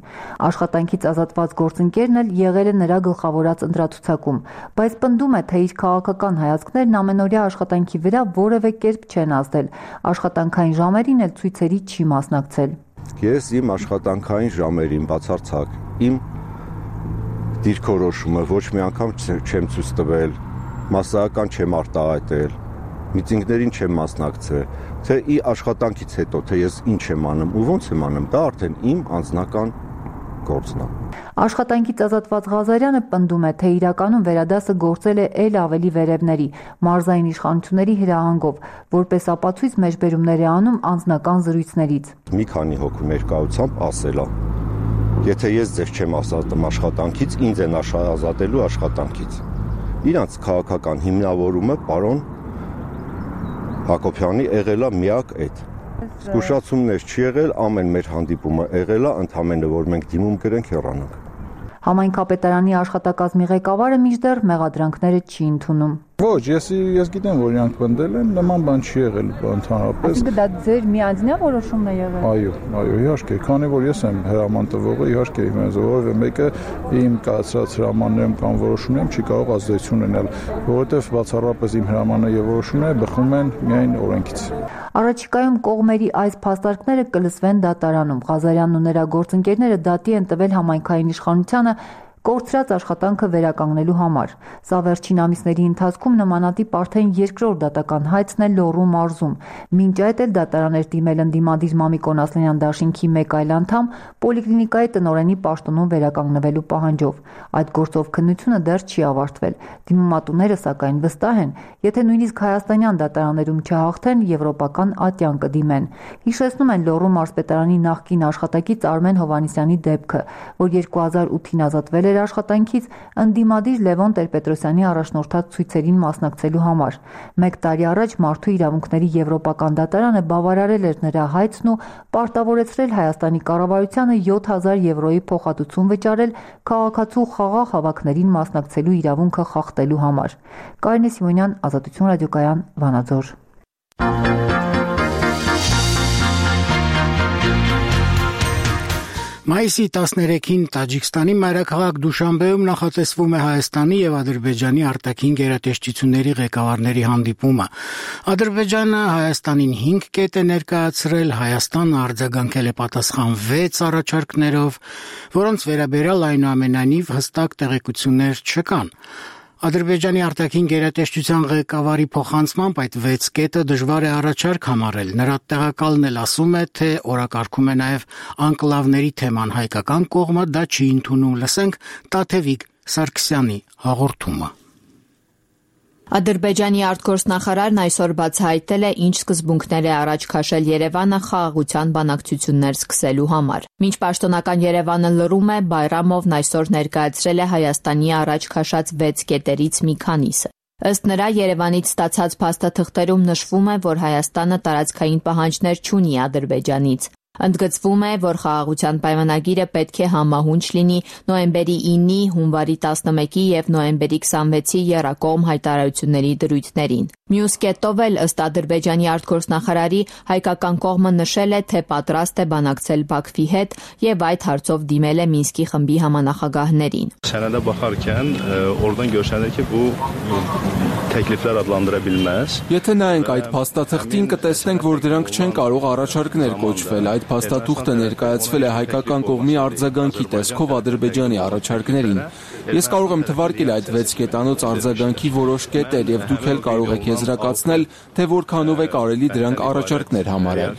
Աշխատանքից ազատված գործընկերն էլ եղել է նրա գլխավորած ընտրացուցակում, բայց պնդում է, թե իր քաղաքական հայացքներն ամենօրյա աշխատանքի վրա որևէ կերպ չեն ազդել։ Աշխատանքային ժամերին էլ ցույցերի չի մասնակցել։ Ես իմ աշխատանքային ժամերին բացարձակ իմ դիրքորոշումը ոչ մի անգամ չեմ ցույց տվել, մասսայական չեմ արտահայտել, միտինգներին չեմ մասնակցել, թե ի աշխատանքից հետո թե ես ինչ եմ անում ու ոնց եմ անում, դա արդեն իմ անձնական գործն է։ Աշխատանքից ազատված Ղազարյանը պնդում է, թե իրականում վերադասը գործել է ել ավելի վերևների, մարզային իշխանությունների հրահանգով, որպես ապացույց մեջբերումներ է անում անձնական զրույցներից։ Մի քանի հոգու ներկայությամբ ասել է. Եթե ես ձեզ չեմ ազատում աշխատանքից, ինձ են ազատելու աշխատանքից։ Իրանց քաղաքական հիմնավորումը պարոն Հակոբյանի եղել է միակ այդ։ Զգուշացումներ չի եղել, ամեն մեր հանդիպումը եղել է, ընդհանրապես որ մենք դիմում գրենք հեռանանք։ Համայնքապետարանի աշխատակազմի ղեկավարը մինչդեռ մեղադրանքները չի ընդունում։ Ոչ, ես գիտեմ, որ իրանք պնդել են, նման բան չի եղել ընդհանրապես։ Այսինքն դա ձեր միանձնյա որոշումն է եղել։ Այո, իհարկե, քանի որ ես եմ հրաման տվողը, իհարկե որևէ մեկը իմ կայացրած հրամաններում կամ որոշումներում չի կարող ազդեցություն ունենալ, որովհետև բացառապես իմ հրամանը եւ որոշումները բխում են միայն օրենքից։ Առաջիկայում կողմերի այս փաստարկները կլսվեն դատարանում։ Ղազարյանն ու նրա գործընկերները դատի են տվել համայնքային իշխանությանը կորցրած աշխատանքը վերականգնելու համար։ Սա վերջին ամիսների ընթացքում նմանատիպ արդեն երկրորդ դատական հայցն է Լոռու մարզում։ Մինչ այդ էլ դատարան էր դիմել ընդդիմադիր Մամիկոն Ասլանյան դաշինքի մեկ այլ անդամ պոլիկլինիկայի տնօրենի պաշտոնում վերականգնվելու պահանջով։ Այդ գործով քննությունը դեռ չի ավարտվել։ Դիմումատուները սակայն վստահ են, եթե նույնիսկ հայաստանյան դատարաններում չհաղթեն, եվրոպական ատյան կդիմեն։ Հիշեցնում են Լոռու մարզպետարանի նախկին աշխատակից Արմեն Հովհաննիսյանի դեպքը, որ 2008-ին ազատվել էր իր աշխատանքից ընդդիմադիր Լևոն Տեր-Պետրոսյանի առաջնորդած ցույցերին մասնակցելու համար։ 1 տարի առաջ Մարդու իրավունքների եվրոպական դատարանը բավարարել էր նրա հայցն ու պարտավորեցրել Հայաստանի կառավարությանը 7000 եվրոյի փոխհատուցում վճարել քաղաքացու խաղաղ հավաքներին մասնակցելու իրավունքը խախտելու համար։ Կարինե Սիմոնյան, Ազատություն ռադիոկայան, Վանաձոր։ Մայիսի 13-ին Տաջիկստանի մայրաքաղաք Դուշանբեում նախատեսվում է Հայաստանի եւ Ադրբեջանի արտաքին գերատեսչությունների ղեկավարների հանդիպումը։ Ադրբեջանը Հայաստանին 5 կետ է ներկայացրել, Հայաստանը արձագանքել է պատասխան 6 առաջարկներով, որոնց վերաբերյալ այնուամենայնիվ հստակ տեղեկություններ չկան։ Ադրբեջանի արտաքին գերատեսչության ղեկավարի փոխանցմամբ այդ 6 կետը դժվար է առաջարկ համարել։ Նրա տեղակալն էլ ասում է, թե օրակարգում է նաև անկլավների թեման, հայկական կողմը դա չի ընդունում։ Լսենք Տաթևիկ Սարգսյանի հաղորդումը։ Ադրբեջանի արտգործնախարարն այսօր բացահայտել է, ինչ սկզբունքներ է առաջ քաշել Երևանը խաղաղության բանակցություններ սկսելու համար։ Մինչ պաշտոնական Երևանը լռում է, Բայրամովն այսօր ներկայացրել է Հայաստանի առաջ քաշած 6 կետերից մի քանիսը։ Ըստ նրա, Երևանից ստացած փաստաթղթերում նշվում է, որ Հայաստանը տարածքային պահանջներ չունի Ադրբեջանից։ Ընդգծվում է, որ խաղաղության պայմանագիրը պետք է համահունչ լինի նոյեմբերի 9-ի, հունվարի 11-ի եւ նոյեմբերի 26-ի եռակողմ հայտարարությունների դրույթներին։ Մյուս կետով էլ, ըստ Ադրբեջանի արտգործնախարարի, հայկական կողմը նշել է, թե պատրաստ է բանակցել Բաքվի հետ եւ այդ հարցով դիմել է Մինսկի խմբի համանախագահներին։ Sənədə baxarkən oradan görünür ki, bu təkliflər adlandıra bilməz. Եթե նայենք այդ փաստաթղթին, կտեսնենք, որ դրանք չեն կարող առաջարկներ կոչվել։ Այդ փաստաթուղթը ներկայացվել է հայկական կողմի արձագանքի տեսքով Ադրբեջանի առաջարկներին։ Ես կարող եմ թվարկել այդ 6 կետանոց արձագանքի որոշ կետեր եւ դուք էլ կարող եք եզրակացնել, թե որքանով է կարելի դրանք առաջարկներ համարել։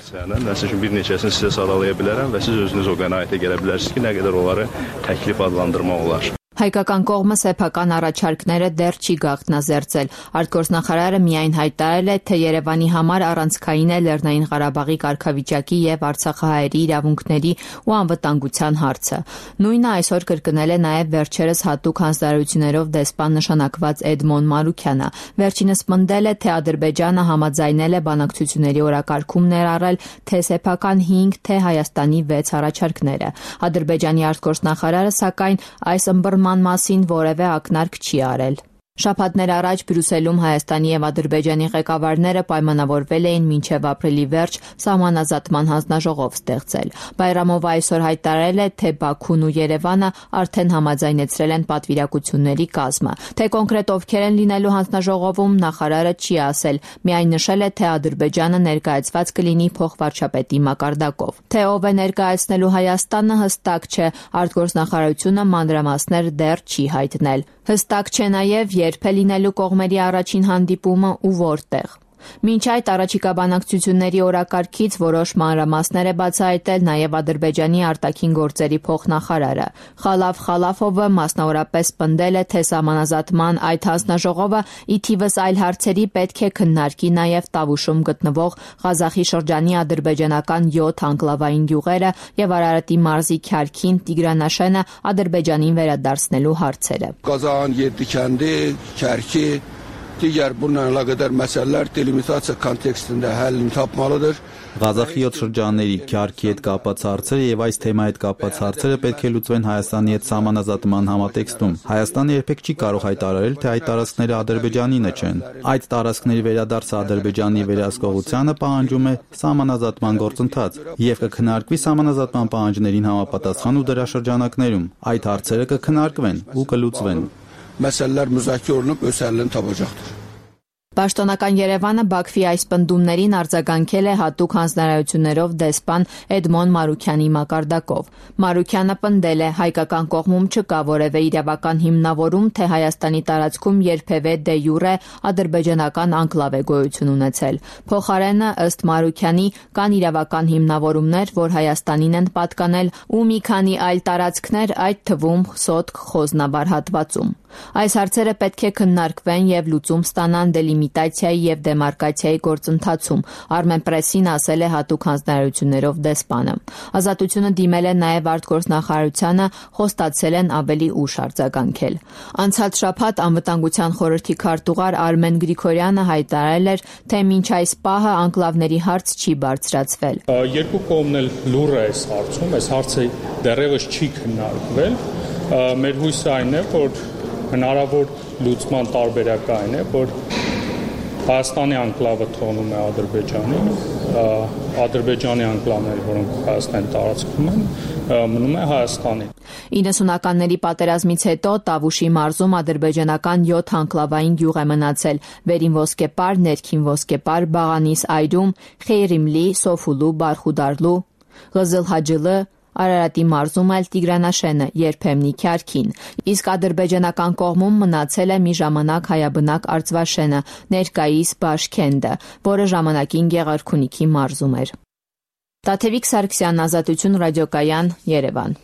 Məsələn, bir neçəsini sizə sadalaya bilərəm və siz özünüz o qənaətə gələ bilərsiniz ki, nə qədər onları təklif adlandırmaq olar։ Հայկական կողմը սեփական առաջարկները դեռ չի գաղտնազերծել։ Արտգործնախարարը միայն հայտարարել է, թե Երևանի համար առանցքային է Լեռնային Ղարաբաղի կարգավիճակի եւ արցախահայերի իրավունքների ու անվտանգության հարցը։ Նույնը այսօր կրկնել է նաեւ վերջերս հատուկ հանձնարարություններով դեսպան նշանակված Էդմոն Մարուքյանը։ Վերջինս պնդել է, թե Ադրբեջանը համաձայնել է բանակցությունների օրակարգում ներառել թե սեփական 5, թե Հայաստանի 6 առաջարկները։ Ադրբեջանի արտգործնախարարը սակայն այս մասին որևէ ակնարկ չի արել։ Շաբաթներ առաջ Բրյուսելում Հայաստանի եւ Ադրբեջանի ղեկավարները պայմանավորվել էին մինչեւ ապրիլի վերջ սահմանազատման հանձնաժողով ստեղծել։ Բայրամովը այսօր հայտարարել է, թե Բաքուն ու Երևանը արդեն համաձայնեցրել են պատվիրակությունների կազմը։ Թե կոնկրետ ովքեր են լինելու հանձնաժողովում, նախարարը չի ասել, միայն նշել է, թե Ադրբեջանը ներկայացված կլինի փոխվարչապետի մակարդակով։ Թե ով է ներկայացնելու Հայաստանը, հստակ չէ, արտգործնախարարությունը մանրամասներ դեռ չի հայտնել։ Հստակ չէ նաև երբ է լինելու կողմերի առաջին հանդիպումը ու որտեղ։ Մինչ այդ առաջիկա բանակցությունների օրակարգից որոշ մանրամասներ է բացահայտել նաև Ադրբեջանի արտաքին գործերի փոխնախարարը։ Խալաֆ Խալաֆովը մասնավորապես պնդել է, թե սահմանազատման այդ հանձնաժողովը ի թիվս այլ հարցերի պետք է քննարկի նաև Տավուշում գտնվող Ղազախի շրջանի ադրբեջանական 7 անկլավային գյուղերը եւ Արարատի մարզի Քյարքին, Տիգրանաշենը Ադրբեջանին վերադարձնելու հարցերը։ Qazağın 7 kəndi, Kərki Digər bununla əlaqədar məsələlər delimitasiya kontekstində həllini tapmalıdır. Ղազախի 7 շրջանների Քյարքի հետ կապված հարցերը եւ այս թեմայի հետ կապված հարցերը պետք է լուծվեն Հայաստանի հետ սահմանազատման համատեքստում։ Հայաստանը երբեք չի կարող հայտարարել, թե այդ տարածքները Ադրբեջանինը չեն։ Այդ տարածքների վերադարձը Ադրբեջանի վերահսկողությանը պահանջում է սահմանազատման գործընթաց եւ կքննարկվի սահմանազատման պահանջներին համապատասխան ու դրա շրջանակներում։ Այդ հարցերը կքննարկվեն ու կլուծվեն։ Məsələlər müzakirə olunub öz həllini tapacaqdır. Պաշտոնական Երևանը Բաքվի այս պնդումներին արձագանքել է հատուկ հանձնարարություններով դեսպան Էդմոն Մարուքյանի մակարդակով։ Մարուքյանը պնդել է, հայկական կողմում չկա որևէ իրավական հիմնավորում, թե Հայաստանի տարածքում երբևէ դե յուրե ադրբեջանական անկլավ է գոյություն ունեցել։ Փոխարենը, ըստ Մարուքյանի, կան իրավական հիմնավորումներ, որ Հայաստանին են պատկանել ու մի քանի այլ տարածքներ, այդ թվում Սոտք Խոզնաբար հատվածում։ Այս հարցերը պետք է քննարկվեն եւ լուծում ստանան դելիմիտացիայի եւ դեմարկացիայի գործընթացում, Armenpress-ին ասել է հատուկ հանձնարարություններով դեսպանը։ Ազատությունը դիմել է նաեւ արտգործնախարարությանը, խոստացել են ավելի ուշ արձագանքել։ Անցած շաբաթ Անվտանգության խորհրդի քարտուղար Արմեն Գրիգորյանը հայտարարել էր, թե մինչ այս պահը անկլավների հարց չի բարձրացվել։ Երկու կողմն էլ լուռ է այս հարցում, այս հարցը դեռևս չի քննարկվել։ Մեր հույսը այն է, որ հնարավոր լուծման տարբերակը այն է, որ Հայաստանի անկլավը թողնում է Ադրբեջանին, Ադրբեջանի անկլավները, որոնք Հայաստանի տարածքում են, մնում է Հայաստանին։ 90-ականների պատերազմից հետո Տավուշի մարզում ադրբեջանական 7 անկլավային գյուղ է մնացել՝ Վերին Ոսկեպար, Ներքին Ոսկեպար, Բաղանիս այրում, Խեյրիմլի, Սոֆուլու, Բարխուդարլու, Ղզıl-Հաջılı, Արարատի մարզում էլ Տիգրանաշենը, երբեմնի Քյարքին, իսկ ադրբեջանական կողմում մնացել է մի ժամանակ հայաբնակ Արծվաշենը, ներկայիս Բաշքենդը, որը ժամանակին Գեղարքունիքի մարզում էր։ Տաթևիկ Սարգսյան, Ազատություն ռադիոկայան, Երևան։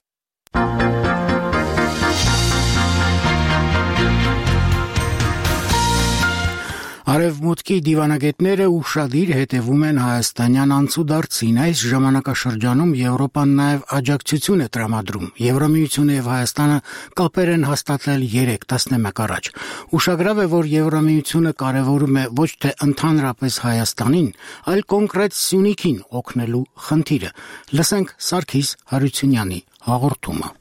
Արևմուտքի դիվանագետները ուշադիր հետևում են հայաստանյան անցուդարձին։ Այս ժամանակաշրջանում Եվրոպան նաև աջակցություն է տրամադրում։ Եվրամիությունը եւ Հայաստանը կապեր են հաստատել 3 տասնամյակ առաջ։ Ուշագրավ է, որ Եվրամիությունը կարևորում է ոչ թե ընդհանրապես Հայաստանին, այլ կոնկրետ Սյունիքին օգնելու խնդիրը։ Լսենք Սարգիս Հարությունյանի հաղորդումը։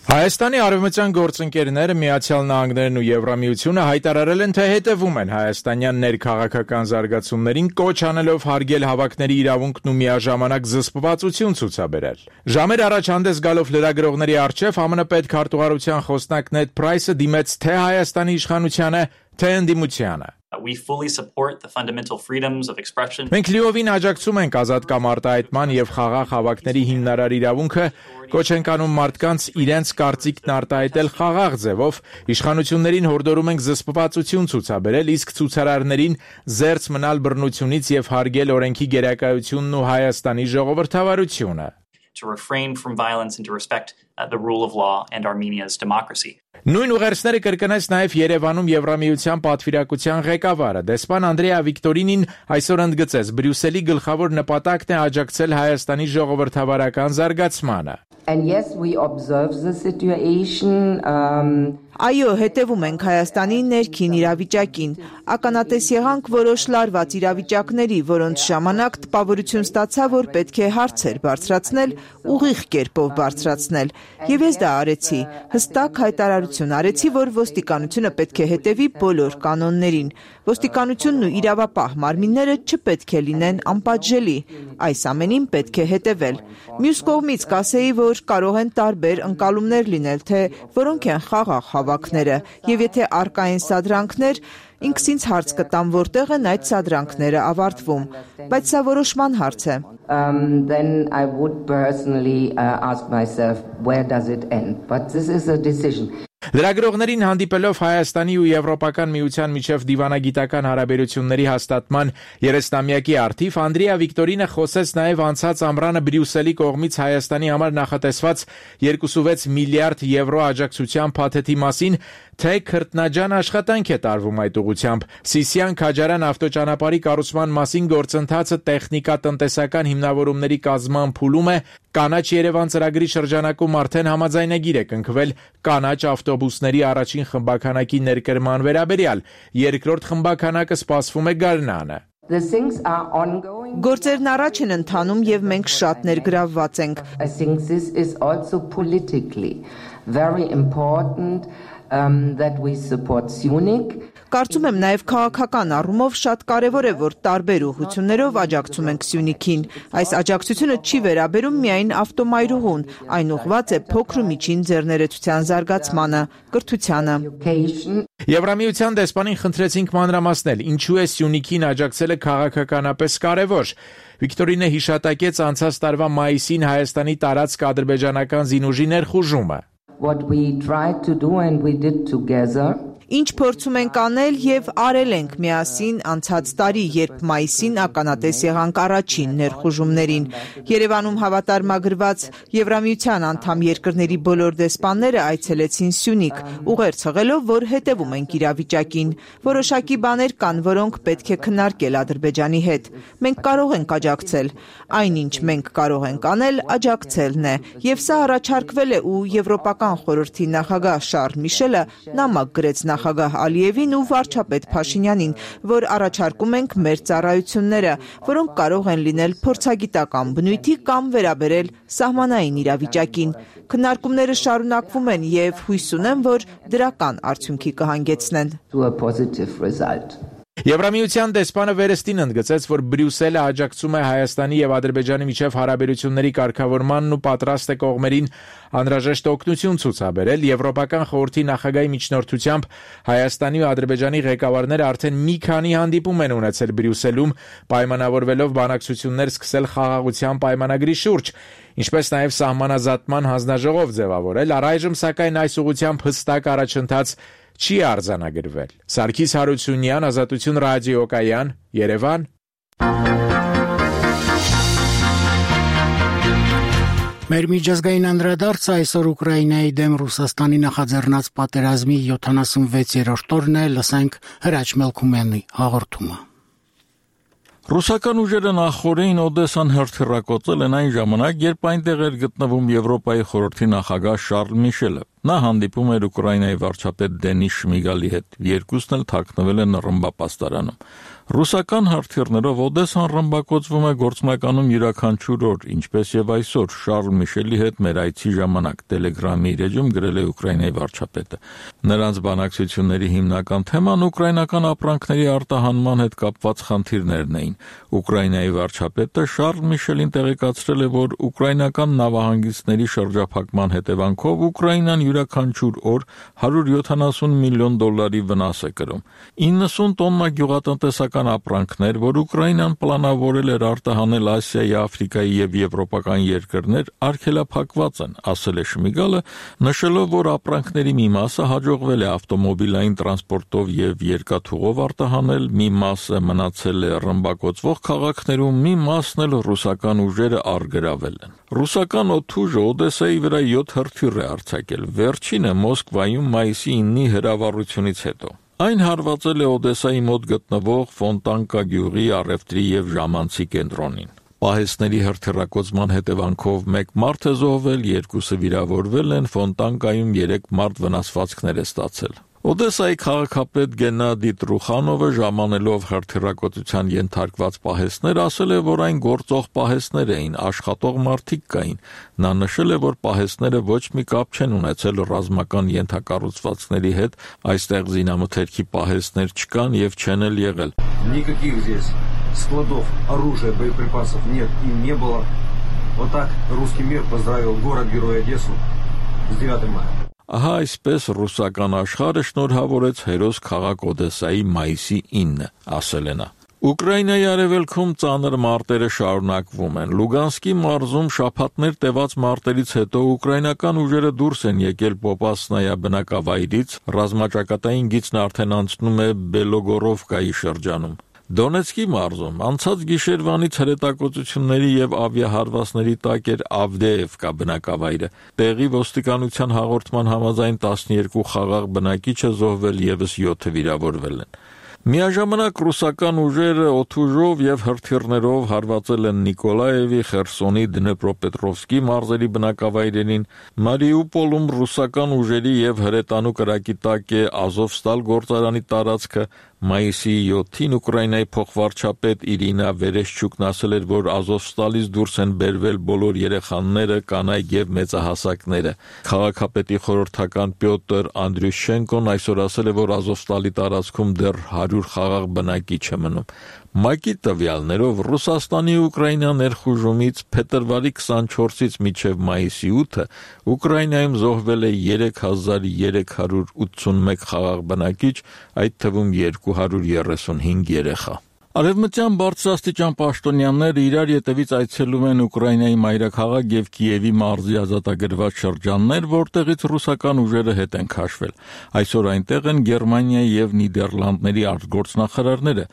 Հայաստանի արևմտյան գործընկերները Միացյալ Նահանգներն ու Եվրամիությունը հայտարարել են, թե հետևում են հայաստանյան ներքաղաքական զարգացումներին, կոչ անելով հարգել հավաքների իրավունքն ու միաժամանակ զսպվածություն ցուցաբերել։ Ժամեր առաջ հանդես գալով լրագրողների առջև ԱՄՆ պետքարտուղարության խոսնակ Նեդ Պրայսը դիմեց թե Հայաստանի իշխանությանը, թե ընդդիմությանը։ We fully support the fundamental freedoms of expression. Մենք լիովին աջակցում ենք ազատ կամ արտահայտման եւ խաղաղ հավաքների հիմնարար իրավունքը, կոչ ենք անում մարդկանց իրենց կարծիքն արտահայտել խաղաղ ձևով, իշխանություններին հորդորում ենք զսպվածություն ցուցաբերել, իսկ ցուցարարներին զերծ մնալ բռնությունից եւ հարգել օրենքի գերակայությունն ու Հայաստանի ժողովրդավարությունը։ To refrain from violence and to respect the rule of law and Armenia's democracy. Նույն ուղերձները կրկնեց նաև Երևանում Եվրամիության պատվիրակության ղեկավարը։ Դեսպան Անդրեա Վիկտորինին այսօր ընդգծեց, Բրյուսելի գլխավոր նպատակն է աջակցել Հայաստանի ժողովրդավարական զարգացմանը։ And yes, we observe the situation. Այո, հետևում ենք Հայաստանի ներքին իրավիճակին։ Ականատես եղանք որոշ լարված իրավիճակների, որոնց ժամանակ տպավորություն ստացա, որ պետք է հարցեր բարձրացնել, ուղիղ կերպով բարձրացնել։ Եվ ես դա արեցի։ Հստակ հայտարարություն արեցի, որ ոստիկանությունը պետք է հետևի բոլոր կանոններին։ Ոստիկանությունն ու իրավապահ մարմինները չպետք է լինեն անպատժելի։ Այս ամենին պետք է հետևել։ Մյուս կողմից կասեի, որ կարող են տարբեր ընկալումներ լինել, թե որոնք են խաղաղ հավաքները, եւ եթե առկա են սադրանքներ, ինքս ինձ հարց կտամ, որտեղ են այդ սադրանքները ավարտվում, բայց սա որոշման հարց է։ Then I would personally ask myself, where does it end? But this is a decision. Լրագրողներին հանդիպելով Հայաստանի ու Եվրոպական միության միջև դիվանագիտական հարաբերությունների հաստատման 30-ամյակի առթիվ Անդրեա Վիկտորինը խոսեց նաև անցած ամռանը Բրյուսելի կողմից Հայաստանի համար նախատեսված 2.6 միլիարդ եվրո աջակցության փաթեթի մասին, թե քրտնաջան աշխատանք է տարվում այդ ուղղությամբ։ Սիսիան-Քաջարյան ավտոճանապարհի կառուցման մասին գործընթացը տեխնիկա-տնտեսական հիմնավորումների կազմման փուլում է, Կանաչ Երևան ծրագրի շրջանակում արդեն համաձայնագիր է կնքվել կանաչ ավտոբուսների առաջին խմբականակի ներկրման վերաբերյալ, երկրորդ խմբականակը սպասվում է գարնանը։ Գործերն առաջ են ընթանում եւ մենք շատ ներգրավված ենք։ I think this is also politically very important that we support Syunik. Կարծում եմ նաև քաղաքական առումով շատ կարևոր է, որ տարբեր ուղղություններով աջակցում ենք Սյունիքին։ Այս աջակցությունը չի վերաբերում միայն ավտոմայրուղուն, այն ուղղված է փոքր ու միջին ձեռներեցության զարգացմանը, կրթությանը։ Եվրամիության դեսպանին խնդրեցինք մանրամասնել, ինչու է Սյունիքին աջակցելը քաղաքականապես կարևոր։ Վիկտորինը հիշատակեց անցած տարվա մայիսին Հայաստանի տարածք ադրբեջանական զինուժի ներխուժումը։ What we tried to do and we did together. Ինչ փորձում ենք անել եւ արել ենք միասին անցած տարի, երբ մայիսին ականատես եղանք առաջին ներխուժումներին։ Երևանում հավատարմագրված Եվրամիության անդամ երկրների բոլոր դեսպանները այցելեցին Սյունիք, ուղերձ հղելով, որ հետևում ենք իրավիճակին։ Որոշակի բաներ կան, որոնք պետք է քննարկել Ադրբեջանի հետ։ Մենք կարող ենք աջակցել։ Այնինչ մենք կարող ենք անել, աջակցելն է։ Եվ սա առաջարկվել է ու Եվրոպական խորհրդի նախագահ Շարլ Միշելը նամակ գրեց նախագահ Ալիևին ու վարչապետ Փաշինյանին, որ առաջարկում ենք մեր ծառայությունները, որոնք կարող են լինել փորձագիտական բնույթի կամ վերաբերել սահմանային իրավիճակին։ Քննարկումները շարունակվում են եւ հույս ունեմ, որ դրական արդյունքի կհանգեցնեն։ Եվրամիության դեսպանը վերստին ընդգծեց, որ Բրյուսելը աջակցում է Հայաստանի եւ Ադրբեջանի միջև հարաբերությունների կարգավորմանն ու պատրաստ է կողմերին անհրաժեշտ օգնություն ցուցաբերել։ Եվրոպական խորհրդի նախագահի միջնորդությամբ Հայաստանի ու Ադրբեջանի ղեկավարները արդեն մի քանի հանդիպում են ունեցել Բրյուսելում, պայմանավորվելով բանակցություններ սկսել խաղաղության պայմանագրի շուրջ, ինչպես նաև սահմանազատման հանձնաժողով ձևավորել։ Առայժմ սակայն այս ուղղությամբ հստակ առաջընթաց չի արձանագրվել։ Սարգիս Հարությունյան, Ազատություն ռադիոկայան, Երևան։ Մեր միջազգային անդրադարձը այսօր Ուկրաինայի դեմ Ռուսաստանի նախաձեռնած պատերազմի 76-րդ օրն է, լսենք Հրաչ Մելքումյանի հաղորդումը։ Ռուսական ուժերը նախորդին Օդեսան հրթիռակոծել են այն ժամանակ, երբ այնտեղ էր գտնվում Եվրոպայի խորհրդի նախագահ Շարլ Միշելը։ Նա հանդիպում էր Ուկրաինայի վարչապետ Դենիս Շմիգալի հետ։ Երկուսն էլ թաքնվել են ռմբապաստարանում։ Ռուսական հրթիռներով Օդեսան ռմբակոծվում է գործնականում յուրաքանչյուր օր, ինչպես եւ այսօր Շարլ Միշելի հետ մեր այցի ժամանակ Telegram-ի իր էջում գրել է Ուկրաինայի վարչապետը։ Նրանց բանակցությունների հիմնական թեման ուկրաինական ապրանքների արտահանման հետ կապված խնդիրներն էին։ Ուկրաինայի վարչապետը Շարլ Միշելին տեղեկացրել է, որ ուկրաինական նավահանգիստների շրջափակման հետևանքով Ուկրաինան յուրաքանչյուր օր $170 միլիոն վնաս է կրում։ 90 տոննա գյուղատնտեսական ապրանքներ, որ Ուկրաինան պլանավորել էր արտահանել Ասիայի, Աֆրիկայի եւ եվրոպական երկրներ, արգելափակված են, ասել է Շմիգալը, նշելով, որ ապրանքների մի մասը հաջողվել է ավտոմոբիլային տրանսպորտով եւ երկաթուղով արտահանել, մի մասը մնացել է ռմբակոծվող քաղաքներում, մի մասն էլ ռուսական ուժերը առգրավել են։ Ռուսական օդուժը Օդեսայի վրա 7 հրթիռ է արձակել, վերջինը Մոսկվայում մայիսի 9-ի հրավառությունից հետո։ Այն հարվածել է Օդեսայի մոտ գտնվող Ֆոնտանկա գյուղի առևտրի եւ ժամանցի կենտրոնին։ Պահեստների հրթիռակոծման հետևանքով 1 մարդ է զոհվել, 2-ը վիրավորվել են, Ֆոնտանկայում 3 մարդ վնասվածքներ է ստացել։ Օդեսայի քաղաքապետ Գենադի Տրուխանովը ժամանելով հրթիռակոծության ենթարկված պահեստներ ասել է, որ այն գործող պահեստներ էին, աշխատող մարդիկ կային։ Նա նշել է, որ պահեստները ոչ մի կապ չեն ունեցել ռազմական ենթակառուցվածքների հետ, այստեղ զինամթերքի պահեստներ չկան եւ չեն էլ եղել։ Никаких здесь складов оружия, боеприпасов нет и не было. Вот так русский мир поздравил город-герой Одессу с 9 мая. Ահա այսպես ռուսական աշխարհը շնորհավորեց հերոս քաղաք Օդեսայի մայիսի 9-ը, ասել է նա։ Ուկրաինայի արևելքում ծանր մարտերը շարունակվում են։ Լուգանսկի մարզում շաբաթներ տևած մարտերից հետո ուկրաինական ուժերը դուրս են եկել Պոպասնայա բնակավայրից, ռազմաճակատային գիծն արդեն անցնում է Բելոգորովկայի շրջանում։ Դոնեցկի մարզում անցած գիշերվանից հրետակոծությունների եւ ավիահարվածների տակ էր Ավդեևկա բնակավայրը։ Տեղի ոստիկանության հաղորդման համաձայն 12 խաղաղ բնակիչ է զոհվել, եւս 7-ը վիրավորվել են։ Միաժամանակ ռուսական ուժերը օդուժով եւ հրթիռներով հարվածել են Նիկոլաևի, Խերսոնի, Դնեպրոպետրովսկի մարզերի բնակավայրերին, Մարիուպոլում ռուսական ուժերի եւ հրետանու կրակի տակ է Ազովստալ գործարանի տարածքը, մայիսի 7-ին Ուկրաինայի փոխվարչապետ Իրինա Վերեշչուկն ասել էր, որ Ազովստալից դուրս են բերվել բոլոր երեխաները, կանայք եւ մեծահասակները։ Քաղաքապետի խորհրդական Պյոտր Անդրյուշենկոն այսօր ասել է, որ Ազովստալի տարածքում դեռ 100 խաղաղ բնակիչ է մնում։ ՄԱԿ-ի տվյալներով Ռուսաստանի Ուկրաինա ներխուժումից փետրվարի 24-ից մինչև մայիսի 8-ը Ուկրաինայում զոհվել է 3381 խաղաղ բնակիչ, այդ թվում 235 երեխա։ Արևմտյան բարձրաստիճան պաշտոնյաները իրար ետևից այցելում են Ուկրաինայի մայրաքաղաք եւ Կիևի մարզի ազատագրված շրջաններ, որտեղից ռուսական ուժերը հետ են քաշվել։ Այսօր այնտեղ են Գերմանիայի եւ Նիդերլանդների արտգործնախարարները։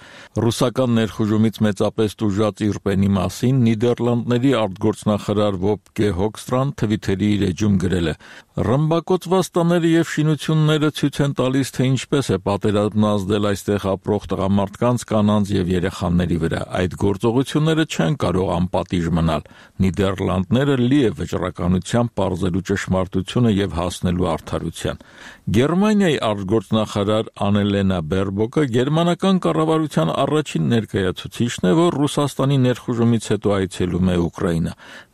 Ռուսական ներխուժումից մեծապես տուժած Իրպենի մասին Նիդերլանդների արտգործնախարար Վոբկե Հոքստրան Թվիթերի իր էջում գրել է. «Ռմբակոծված տները եւ շինությունները ցույց են տալիս, թե ինչպես է պատերազմն ազդել այստեղ ապրող տղամարդկանց, կանանց եւ երեխաների վրա։ Այդ գործողությունները չեն կարող անպատիժ մնալ։ Նիդերլանդները լի է վճռականությամբ պարզելու ճշմարտությունը եւ հասնելու արդարության»։ Գերմանիայի արտգործնախարար Անելենա Բերբոկը գերմանական կառավարության առաջին ներկայացուցիչն է, որ Ռուսաստանի ներխուժումից հետո այցելում է Ուկրաինա։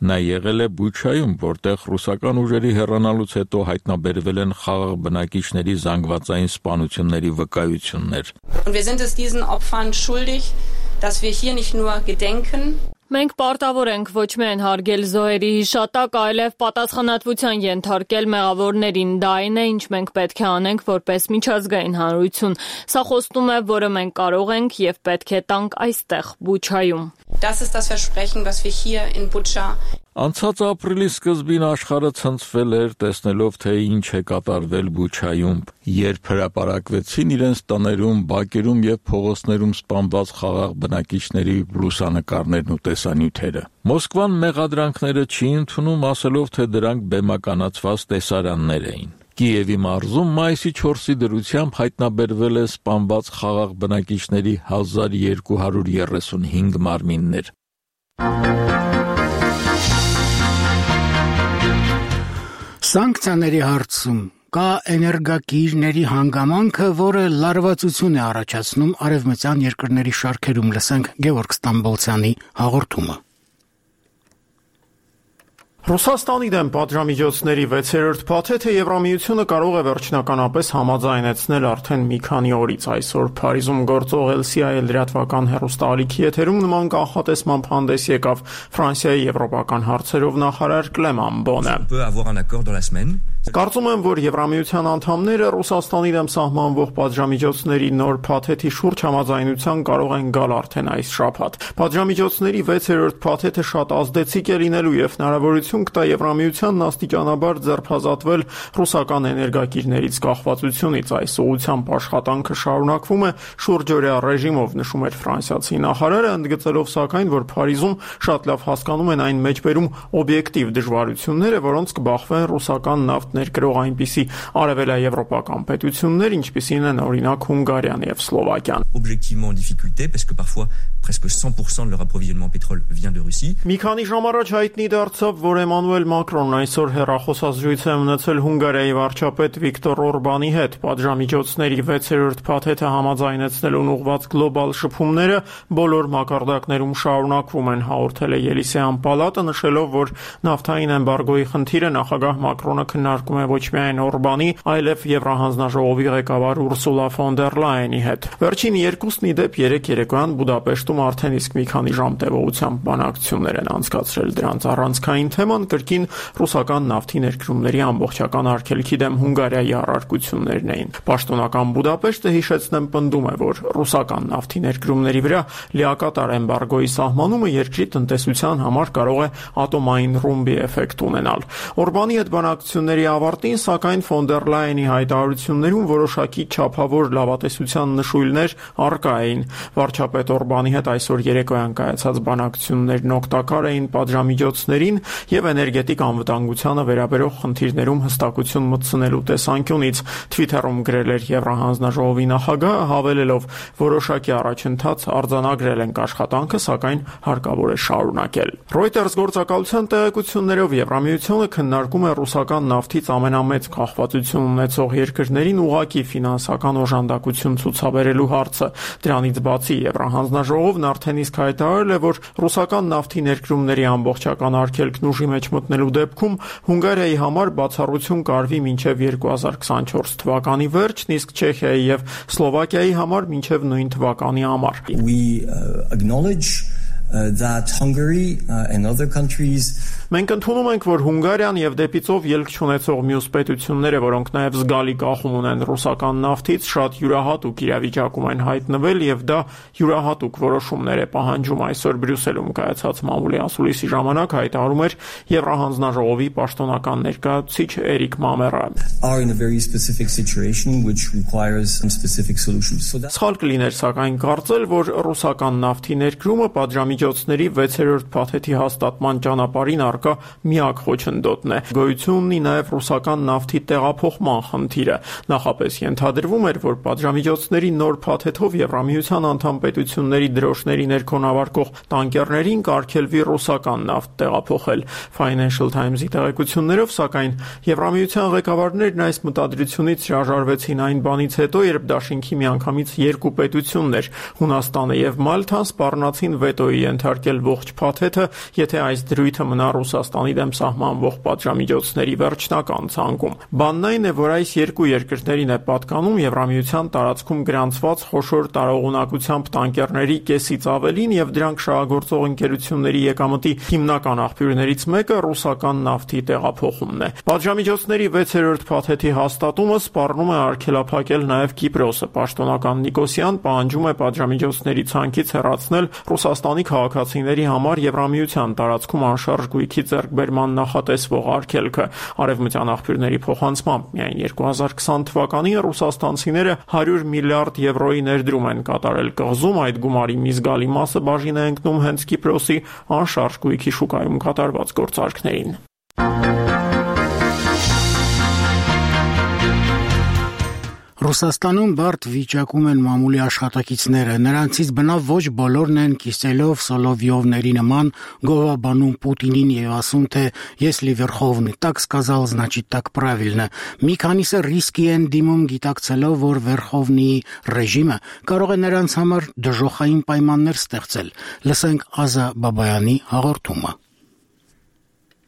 Նա եղել է Բուչայում, որտեղ ռուսական ուժերի հեռանալուց հետո հայտնաբերվել են խաղաղ բնակիչների զանգվածային սպանությունների վկայություններ։ Und wir sind es diesen Opfern schuldig, dass wir hier nicht nur gedenken. Մենք պարտավոր ենք ոչ միայն հարգել զոհերի հիշատակ, այլև պատասխանատվության ենթարկել մեղավորներին։ Դա այն է, ինչ մենք պետք է անենք որպես միջազգային հանրություն։ Սա խոստում է, որը մենք կարող ենք եւ պետք է տանք այստեղ, Բուչայում։ Das ist das Versprechen, was wir hier in Bucha. Անցած ապրիլի սկզբին աշխարհը ցնցվել էր տեսնելով, թե ինչ է կատարվել Բուչայում, երբ հրապարակվեցին իրենց տներում, բակերում եւ փողոցներում սպանված խաղաղ բնակիչների լուսանկարներն ու տեսանյութերը։ Մոսկվան մեղադրանքները չի ընդունում, ասելով, թե դրանք բեմականացված տեսարաններ էին։ Կիևի մարզում մայիսի 4-ի դրությամբ հայտնաբերվել է սպանված խաղաղ բնակիչների 1235 մարմիններ։ Սանկցիաների հարցում կա էներգակիրների հանգամանքը, որը լարվածություն է առաջացնում արևմտյան երկրների շարքերում, լսենք Գևորգ Ստամբոլցյանի հաղորդումը։ Ռուսաստանի դեմ պատժամիջոցների 6-րդ փաթեթը Եվրամիությունը կարող է վերջնականապես համաձայնեցնել արդեն մի քանի օրից։ Այսօր Փարիզում գործող LCI լրատվական հեռուստաալիքի եթերում նման կանխատեսմամբ հանդես եկավ Ֆրանսիայի եվրոպական հարցերով նախարար Կլեման Բոնը։ Կարծում եմ, որ Եվրամիության անդամները Ռուսաստանի դեմ սահմանվող պատժամիջոցների նոր փաթեթի շուրջ համաձայնության կարող են գալ արդեն այս շաբաթ։ Պատժամիջոցների 6-րդ փաթեթը շատ ազդեցիկ է լինելու եւ հնարավորություն կտա Եվրամիությանն աստիճանաբար ձերբազատվել ռուսական էներգակիրներից կախվածությունից։ Այս ուղղությամբ աշխատանքը շարունակվում է շուրջօրյա ռեժիմով, նշում էր ֆրանսիացի նախարարը, ընդգծելով սակայն, որ Փարիզում շատ լավ հասկանում են այն մեջբերում օբյեկտիվ դժվարությունները, որոնց կբախվեն ռուսական նավթ ներկրող այնպիսի արևելաեվրոպական պետություններ, ինչպիսին են օրինակ Հունգարիան եւ Սլովակիան։ Objectivement en difficulté parce que parfois presque 100% de leur approvisionnement pétrole vient de Russie. Մի քանի ժամ առաջ հայտնի դարձավ, որ Էմանուել Մակրոնն այսօր հեռախոսազրույց է ունեցել Հունգարիայի վարչապետ Վիկտոր Օրբանի հետ։ Պատժամիջոցների 6-րդ փաթեթը համաձայնեցնելուն ուղղված գլոբալ շփումները բոլոր մակարդակներում շարունակվում են, հաղորդել է Ելիսեյան պալատը, նշելով, որ նավթային էմբարգոյի խնդիրը նախագահ Մակրոնը քննարկում է ոչ միայն Օրբանի, այլև Եվրահանձնաժողովի ղեկավար Ուրսուլա ֆոն դեր Լայենի հետ։ Վերջին երկուսն ի դեպ 3 երեկոյան Բուդապեշտում արդեն իսկ մի քանի ժամ տևողությամբ բանակցություններ են անցկացրել։ Դրանց առանցքային թեման կրկին ռուսական նավթի ներկրումների ամբողջական արգելքի դեմ Հունգարիայի առարկություններն էին։ Պաշտոնական Բուդապեշտը, հիշեցնեմ, պնդում է, որ ռուսական նավթի ներկրումների վրա լիակատար էմբարգոյի սահմանումը երկրի տնտեսության համար կարող է ատոմային ռումբի էֆեկտ ունենալ։ Օրբանի հետ բանակցությունների ավարտին, սակայն ֆոն դեր Լայենի հայտարարություններում որոշակի չափավոր լավատեսության նշույլներ առկա էին։ Վարչապետ Օրբանի հետ այսօր երեկոյան կայացած բանակցություններն օգտակար էին պատժամիջոցներին եւ էներգետիկ անվտանգությանը վերաբերող խնդիրներում հստակություն մտցնելու տեսանկյունից, Twitter-ում գրել էր Եվրահանձնաժողովի նախագահը, հավելելով, որոշակի առաջընթաց արձանագրել ենք աշխատանքը, սակայն հարկավոր է շարունակել։ Reuters գործակալության տեղեկություններով Եվրամիությունը քննարկում է ռուսական նավթից ամենամեծ կախվածություն ունեցող երկրներին ուղղակի ֆինանսական օժանդակություն ցուցաբերելու հարցը։ Դրանից բացի Եվրահանձնաժողովն արդեն իսկ հայտարարել է, որ ռուսական նավթի ներկրումների ամբողջական արգելքն ուժի մեջ մտնելու դեպքում Հունգարիայի համար բացառություն կարվի մինչև 2024 թվականի վերջն, իսկ Չեխիայի եւ Սլովակիայի համար մինչև նույն թվականի ամառ։ We acknowledge that Hungary and other countries Մենք ընդունում ենք, որ Հունգարիան եւ դեպիցով ելք չունեցող մյուս պետությունները, որոնք նաեւ զգալի կախում ունեն ռուսական նավթից, շատ յուրահատուկ իրավիճակում են հայտնվել եւ դա յուրահատուկ որոշումներ է պահանջում, այսօր Բրյուսելում կայացած մամուլի ասուլիսի ժամանակ հայտարարում էր Եվրահանձնաժողովի պաշտոնական ներկայացուցիչ Էրիկ Մամերը։ Սխալ կլիներ սակայն կարծել, որ ռուսական նավթի ներկրումը պատժամիջոցների 6-րդ փաթեթի հաստատման ճանապարհին առկա միակ խոչընդոտն է։ Գոյություն ունի նաև ռուսական նավթի տեղափոխման խնդիրը։ Նախապես ենթադրվում էր, որ պատժամիջոցների նոր փաթեթով Եվրամիության անդամ պետությունների դրոշների ներքոնավարկող տանկերներին կարգելվի ռուսական նավթ տեղափոխել։ Financial Times-ի տեղեկություններով, սակայն Եվրամիության ղեկավարներն այս մտադրությունից հրաժարվեցին այն բանից հետո, երբ դաշինքի միանգամից երկու պետություններ, Հունաստանը եւ Մալթան, սպառնացին վետոյի ենթարկել ողջ փաթեթը, եթե այս դրույթը մնա Ռուսաստանի դեմ սահմանվող պատժամիջոցների վերջնական ցանկում։ Բանն այն է, որ այս երկու երկրներին է պատկանում Եվրամիության տարածքում գրանցված խոշոր տարողունակությամբ տանկերների կեսից ավելին եւ դրանք շահագործող ընկերությունների եկամտի հիմնական աղբյուրներից մեկը ռուսական նավթի տեղափոխումն է։ Պատժամիջոցների 6-րդ փաթեթի հաստատումը սպառնում է արգելափակել նաեւ Կիպրոսը։ Պաշտոնական Նիկոսյան պահանջում է պատժամիջոցների ցանկից հեռացնել Ռուսաստանի քաղաքացիների համար Եվրամիության տարածքում անշարժ գույքի ձեռքբերման նախատեսվող արգելքը։ Արևմտյան աղբյուրների փոխանցմամբ միայն 2020 թվականին ռուսաստանցիները 100 միլիարդ եվրոյի ներդրում են կատարել կղզում, այդ գումարի մի զգալի մասը բաժին է ընկնում հենց Կիպրոսի անշարժ գույքի շուկայում կատարված գործարքներին։ Ռուսաստանում բարդ վիճակում են մամուլի աշխատակիցները, նրանցից բնավ ոչ բոլորն են Կիսելով, Սոլովյովների նման գովաբանում Պուտինին եւ ասում, թե если Верховный так сказал, значит так правильно։ Մի քանիսը ռիսկի են դիմում գիտակցելով, որ Վերխովնիի ռեժիմը կարող է նրանց համար դժոխային պայմաններ ստեղծել։ Լսենք Ազա Բաբայանի հաղորդումը։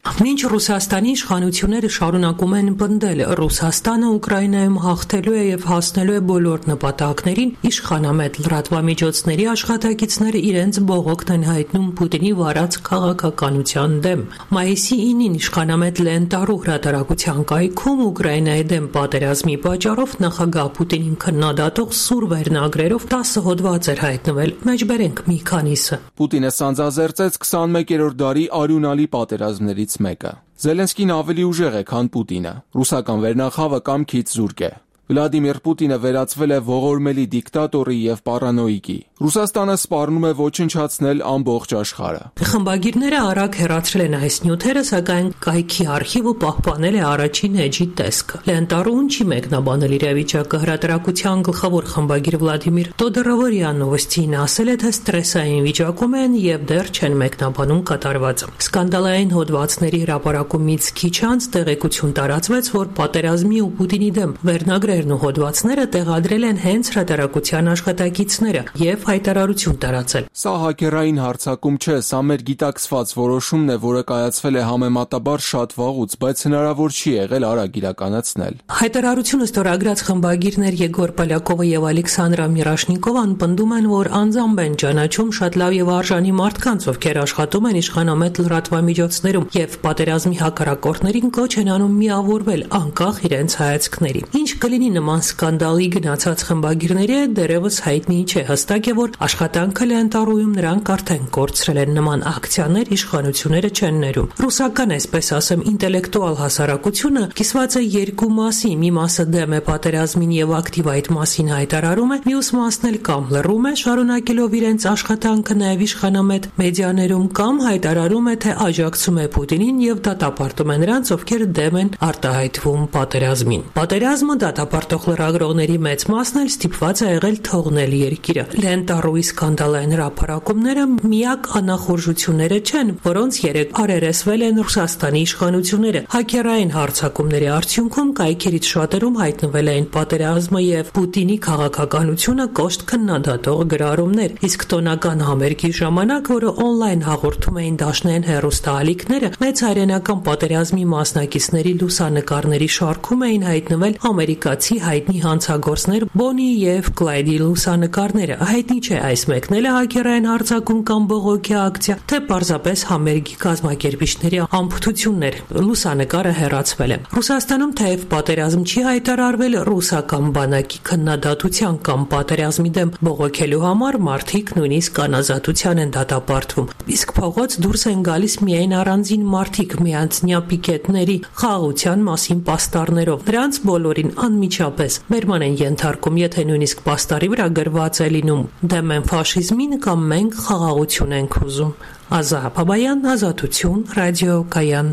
Մինչ Ռուսաստանի իշխանությունները շարունակում են պնդել, Ռուսաստանը Ուկրաինայում հաղթելու է եւ հասնելու է բոլոր նպատակներին, իշխանամետ լրատվամիջոցների աշխատակիցները իրենց բողոքն են հայտնում Պուտինի վարած քաղաքականության դեմ։ Մայիսի 9-ին իշխանամետ Լենտարու հրատարակության կայքում Ուկրաինայի դեմ պատերազմի պատճառով նախագահ Պուտինին քննադատող սուր վերնագրերով 10 հոդված էր հայտնվել, մեջբերենք մի քանիսը։ Պուտինը սանձազերծեց 21-րդ դարի արյունալի պատերազմներից մեկը։ Զելենսկին ավելի ուժեղ է, քան Պուտինը։ Ռուսական վերնախավը կամքից զուրկ է։ Վլադիմիր Պուտինը վերածվել է ողորմելի դիկտատորի եւ պարանոիկի։ Ռուսաստանը սպառնում է ոչնչացնել ամբողջ աշխարհը։ Խմբագիրները արագ հեռացրել են այս նյութերը, սակայն կայքի արխիվը պահպանել է առաջին էջի տեսքը։ Լենտարուն չի մեկնաբանել իրավիճակը։ Հրատարակության գլխավոր խմբագիր Վլադիմիր Տոդորովոյա Նովոստին ասել է, թե ստրեսային վիճակում են եւ դեռ չեն մեկնաբանում կատարվածը։ Սկանդալային հոդվածների հրապարակումից քիչ անց տեղեկություն տարածվեց, որ պատերազմի ու Պուտինի դեմ վերնագրերն ու հոդվածները տեղադրել են հենց հրատարակության աշխատակիցները եւ հայտարարություն տարածել։ Սա հակերային հարձակում չէ, սա մեր գիտակցված որոշումն է, որը կայացվել է համեմատաբար շատ վաղուց, բայց հնարավոր չի եղել արագ իրականացնել։ Հայտարարությունը ստորագրած խմբագիրներ Եգոր Պոլյակովը եւ Ալեքսանդրա Միրաշնիկովան պնդում են, որ անձամբ են ճանաչում շատ լավ եւ արժանի մարդկանց, ովքեր աշխատում են իշխանամետ լրատվամիջոցներում եւ պատերազմի հակառակորդներին կոչ են անում միավորվել անկախ իրենց հայացքների։ Ինչ կլինի նման սկանդալի գնացած խմբագիրների հետ դեռևս հայտնի չէ։ Հստակ է, որ աշխատանքը Լենտարույում նրանք արդեն կորցրել են նման ակցիաներ իշխանությունները չեն ներում։ Ռուսական, այսպես ասեմ, ինտելեկտուալ հասարակությունը կիսված է երկու մասի, մի մասը դեմ է պատերազմին եւ ակտիվ այդ մասին հայտարարում է, մյուս մասն էլ կամ լռում է, շարունակելով իրենց աշխատանքը նաեւ իշխանամետ մեդիաներում, կամ հայտարարում է, թե աջակցում է Պուտինին եւ դատապարտում է նրանց, ովքեր դեմ են արտահայտվում պատերազմին։ Պատերազմը դատապարտող լրագրողների մեծ մասն էլ ստիպված է եղել թողնել երկիրը։ Լենտարուի սկանդալային հրապարակումները միակ անախորժությունները չեն, որոնց երեք արերեսվել են Ռուսաստանի իշխանությունները։ Հակերային հարձակումների արդյունքում կայքերից շատերում հայտնվել էին պատերազմը եւ Պուտինի քաղաքականությունը կոշտ քննադատող գրառումներ, իսկ տոնական համերգի ժամանակ, որը օնլայն հաղորդում էին դաշնային հեռուստաալիքները, մեծ հայրենական պատերազմի մասնակիցների լուսանկարների շարքում էին հայտնվել ամերիկացի հայտնի հանցագործներ Բոնի եւ Կլայդի լուսանկարները։ Հայտնի հայտնի չէ այս մեկնելը հակերային հարձակում կամ բողոքի ակցիա, թե պարզապես համերգի կազմակերպիչների ամփոփություններ։ Լուսանկարը հեռացվել է։ Ռուսաստանում թեև պատերազմ չի հայտարարվել, ռուսական բանակի քննադատության կամ պատերազմի դեմ բողոքելու համար մարդիկ նույնիսկ կանազատության են դատապարտվում։ Իսկ փողոց դուրս են գալիս միայն առանձին մարդիկ միանձնյա պիկետների խաղաղության մասին պաստառներով։ Նրանց բոլորին անմիջապես բերման են ենթարկում, եթե նույնիսկ պաստառի վրա գրված է լինում «Դեմ են ֆաշիզմին» կամ «Մենք խաղաղություն ենք ուզում»։ Ազատ Բաբայան, Ազատություն, Ռադիո Կայան։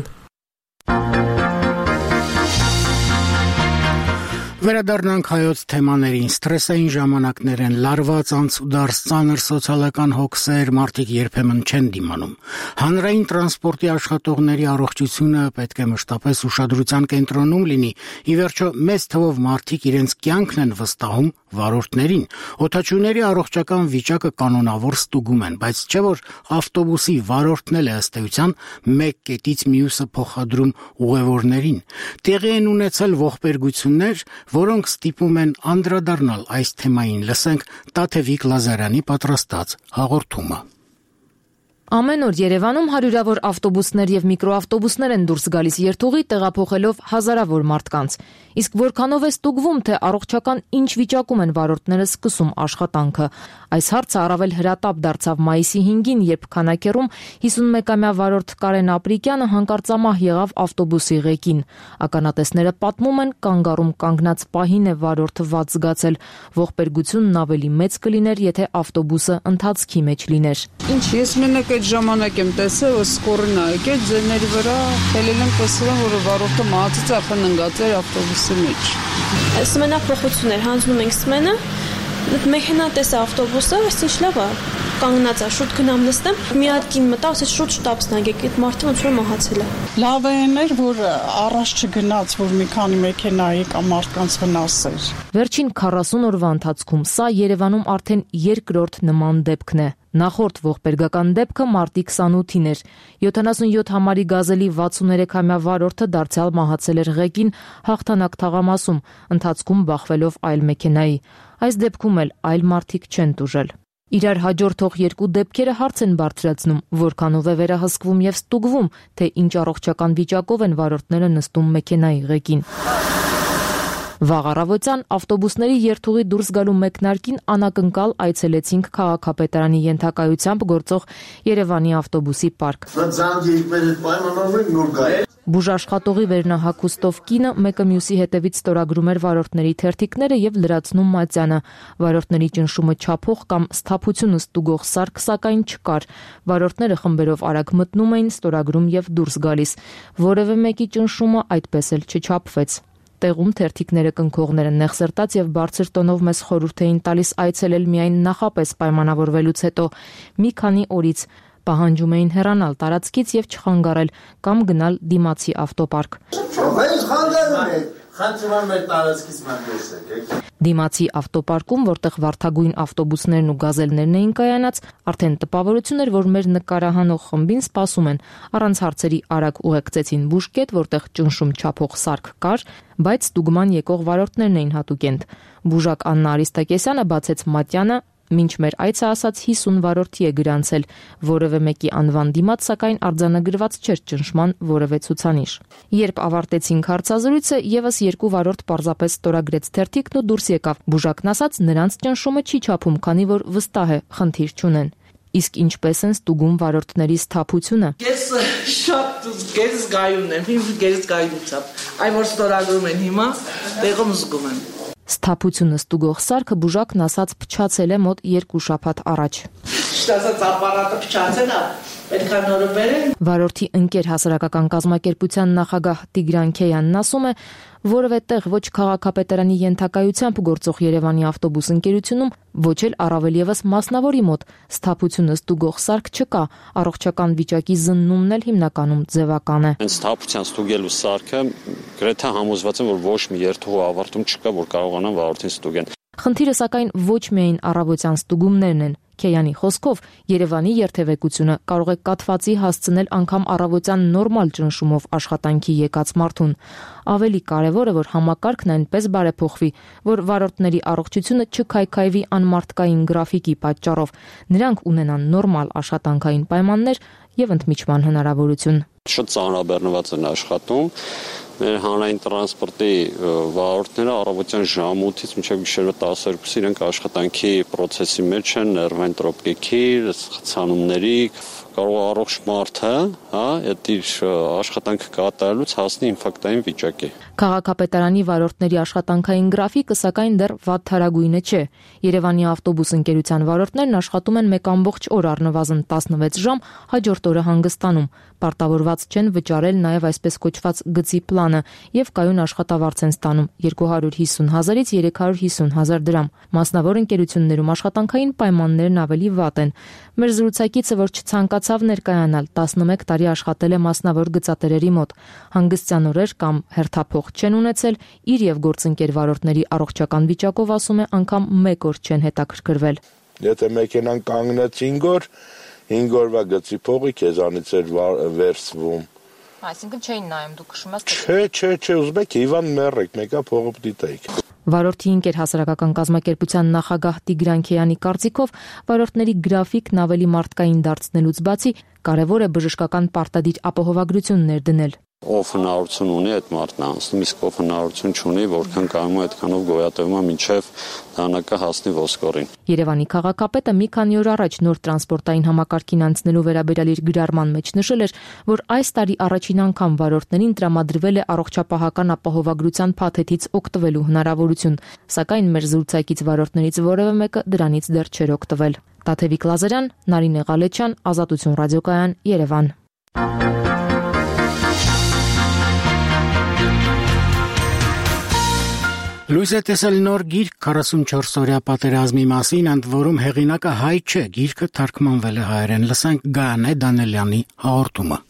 Վերադառնանք հայոց թեմաներին։ Ստրեսային ժամանակներ են, լարված անցուդարձ, ծանր սոցիալական հոգսեր, մարդիկ երբեմն չեն դիմանում։ Հանրային տրանսպորտի աշխատողների առողջությունը պետք է մշտապես ուշադրության կենտրոնում լինի։ Ի վերջո, մեծ թվով մարդիկ իրենց կյանքն են վստահում վարորդներին։ Օդաչուների առողջական վիճակը կանոնավոր ստուգում են, բայց չէ որ ավտոբուսի վարորդն էլ է ըստ էության մեկ կետից մյուսը փոխադրում ուղևորներին։ Տեղի են ունեցել ողբերգություններ, որոնք ստիպում են անդրադառնալ այս թեմային։ Լսենք Տաթևիկ Լազարյանի պատրաստած հաղորդումը։ Ամեն օր Երևանում հարյուրավոր ավտոբուսներ եւ միկրոավտոբուսներ են դուրս գալիս երթուղի, տեղափոխելով հազարավոր մարդկանց։ Իսկ որքանով է ստուգվում, թե առողջական ինչ վիճակում են վարորդները սկսում աշխատանքը։ Այս հարցը առավել հրատապ դարձավ մայիսի 5-ին, երբ քանակերում 51-ամյա վարորդ Կարեն Ապրիկյանը հանկարծամահ եղավ ավտոբուսի ղեկին։ Ականատեսները պատմում են, կանգառում կանգնած պահին է վարորդը վատ զգացել։ Ողբերգությունն ավելի մեծ կլիներ, եթե ավտոբուսը ընթացքի մեջ լիներ։ Ինչ ես մենակ այդ ժամանակ եմ տեսել, որ սկորին ա եկել ձեների վրա, թելել եմ տեսել, որ վարորդը մահացած է խննգացել ավտոբուսի մեջ։ Սմենա փոխություն էր, հանձնում ենք սմենը, մեքենա տեսա ավտոբուսը, այսինչ լավ է, կանգնած է, շուտ գնամ նստեմ, մի հատ կին մտա, ասեց շուտ շտապսնագեք, այդ մարդը ոնց որ մահացել է։ Լավ էր, որ առաջ չգնաց, որ մի քանի մեքենայի կամ մարդկանց վնասեր։ Վերջին 40 օրվա ընթացքում սա Երևանում արդեն երկրորդ նման դեպքն է։ Նախորդ ողբերգական դեպքը մարտի 28-ին էր։ 77 համարի գազելի 63-ամյա վարորդը դարձյալ մահացել էր ղեկին Հաղթանակ թաղամասում, ընթացքում բախվելով այլ մեքենայի։ Այս դեպքում էլ այլ մարդիկ չեն տուժել։ Իրար հաջորդող երկու դեպքերը հարց են բարձրացնում, որքանով է վերահսկվում եւ ստուգվում, թե ինչ առողջական վիճակով են վարորդները նստում մեքենայի ղեկին։ Վաղ առավոտյան ավտոբուսների երթուղի դուրս գալու մեկնարկին անակնկալ այցելեցինք քաղաքապետարանի ենթակայությամբ գործող Երևանի ավտոբուսի պարկ։ Բուժաշխատողի վերնահագուստով կինը մեկը մյուսի հետևից ստորագրում էր վարորդների թերթիկները եւ լրացնում մատյանը։ Վարորդների ճնշումը չափող կամ սթափությունը ստուգող սարք սակայն չկար։ Վարորդները խմբերով արագ մտնում էին, ստորագրում եւ դուրս գալիս։ Որևէ մեկի ճնշումը այդպես էլ չչափվեց։ Տեղում թերթիկները կնքողները նեղսրտած եւ բարձր տոնով մեզ խորհուրդ էին տալիս այցելել միայն նախապես պայմանավորվելուց հետո։ Մի քանի օրից պահանջում էին հեռանալ տարածքից եւ չխանգարել կամ գնալ դիմացի ավտոպարկ։ Դիմացի ավտոպարկում, որտեղ վարդագույն ավտոբուսներն ու գազելներն էին կայանած, արդեն տպավորություն էր, որ մեր նկարահանող խմբին սպասում են։ Առանց հարցերի արագ ուղեկցեցին բուժկետ, որտեղ ճնշում չափող սարք կար, բայց ստուգման եկող վարորդներն էին հատուկենտ։ Բուժակ Աննա Արիստակեսյանը բացեց մատյանը, մինչ մեր այցը ասաց 50 վարորդի է գրանցել, որևէ մեկի անվան դիմաց սակայն արձանագրված չէր ճնշման որևէ ցուցանիշ։ Երբ ավարտեցինք հարցազրույցը, եւս երկու վարորդ պարզապես ստորագրեց թերթիկն ու դուրս եկավ։ Բուժակն ասաց, նրանց ճնշումը չի չափում, քանի որ վստահ է, խնդիր չունեն։ Իսկ ինչպես են ստուգում վարորդների սթափությունը։ Ես շատ գերզգայուն եմ, իմ գերզգայունությամբ։ Այն որ ստորագրում են հիմա, տեղում զգում եմ։ Սթափությունը ստուգող սարքը բուժակն ասաց փչացել է մոտ 2 շաբաթ առաջ։ Շտասած ապարատը փչացել է, պետք է նորը բերեն։ Վարորդի ընկեր հասարակական կազմակերպության նախագահ Տիգրան Քեյանն ասում է, որևէ տեղ ոչ քաղաքապետարանի ենթակայությամբ գործող Երևանի ավտոբուս ընկերությունում, ոչ էլ առավել եւս մասնավորի մոտ սթափությունը ստուգող սարք չկա, առողջական վիճակի զննումն էլ հիմնականում ձևական է։ Սթափության ստուգելու սարքը գրեթե համոզված եմ, որ ոչ մի երթուղու ավարտում չկա, որ կարողանան վարորդին ստուգեն։ Խնդիրը սակայն ոչ միայն առավոտյան ստուգումներն են։ Քեյանի խոսքով Երևանի երթևեկությունը կարող է կաթվածի հասցնել անգամ առավոտյան նորմալ ճնշումով աշխատանքի եկած մարդուն։ Ավելի կարևոր է, որ համակարգն այնպես բարեփոխվի, որ վարորդների առողջությունը չքայքայվի անմարդկային գրաֆիկի պատճառով, նրանք ունենան նորմալ աշխատանքային պայմաններ եւ ընդմիջման հնարավորություն։ Շատ ծանրաբեռնված են աշխատում։ Մեր հանրային տրանսպորտի վարորդները առավոտյան ժամ 8-ից մինչև գիշերվա 12-ը իրենք աշխատանքի process-ի մեջ են, ներվային տրոպիկի, խցանումների, կարող է առողջ մարդը, այդ իր աշխատանքը կատարելուց հասնի ինֆարկտային վիճակի։ Քաղաքապետարանի վարորդների աշխատանքային գրաֆիկը սակայն դեռ վատթարագույնը չէ։ Երևանի ավտոբուս ընկերության վարորդներն աշխատում են 1 ամբողջ օր առնվազն 16 ժամ, հաջորդ օրը հանգստանում։ Պարտավորված չեն վճարել նաև այսպես կոչված գծի պլանը եւ կայուն աշխատավարձ են ստանում 250,000-ից 350,000 դրամ։ Մասնավոր ընկերություններում աշխատանքային պայմաններն ավելի վատ են։ Մեր զրուցակիցը, որ չցանկացավ ներկայանալ, 11 տարի աշխատել է մասնավոր գծատերերի մոտ։ Հանգստյան օրեր կամ հերթափոխ չեն ունեցել, իր եւ գործընկեր վարորդների առողջական վիճակով ասում է անգամ 1 օր չեն հետաքրքրվել։ Եթե մեքենան կանգնեց 5 օր, 5 օրվա գծի փողի քեզանից էր վերցվում։ Այսինքն չէին նայում, դուք քշում եք։ Չէ, ուզում եք Իվան մեռեք, մեկա փողը դիտեք։ Վարորդի ինկեր հասարակական կազմակերպության նախագահ Տիգրան Քեյանի կարծիքով վարորդների գրաֆիկն ավելի մարդկային դարձնելուց բացի կարևոր է բժշկական պարտադիր ապահովագրություն ներդնել։ Ով հնարավորություն ունի այդ մարդն անցնում, իսկ ով հնարավորություն չունի, որքան կարող է այդքանով գոյատևում է մինչև դանակը հասնի ոսկորին։ Երևանի քաղաքապետը մի քանի օր առաջ նոր տրանսպորտային համակարգին անցնելու վերաբերյալ իր գրառման մեջ նշել էր, որ այս տարի առաջին անգամ վարորդներին տրամադրվել է առողջապահական ապահովագրության փաթեթից օգտվելու հնարավորություն, սակայն մեր զրուցակից վարորդներից որևէ մեկը դրանից դեռ չէր օգտվել։ Տաթևիկ Լազարյան, Նարինե Ղալեչյան, Ազատություն ռադիոկայան, Երևան։ Լույս է տեսել նոր գիրք 44-օրյա պատերազմի մասին, ընդ որում հեղինակը հայ չէ, գիրքը թարգմանվել է հայերեն։ Լսենք Գայանե Դանելյանի հաղորդումը։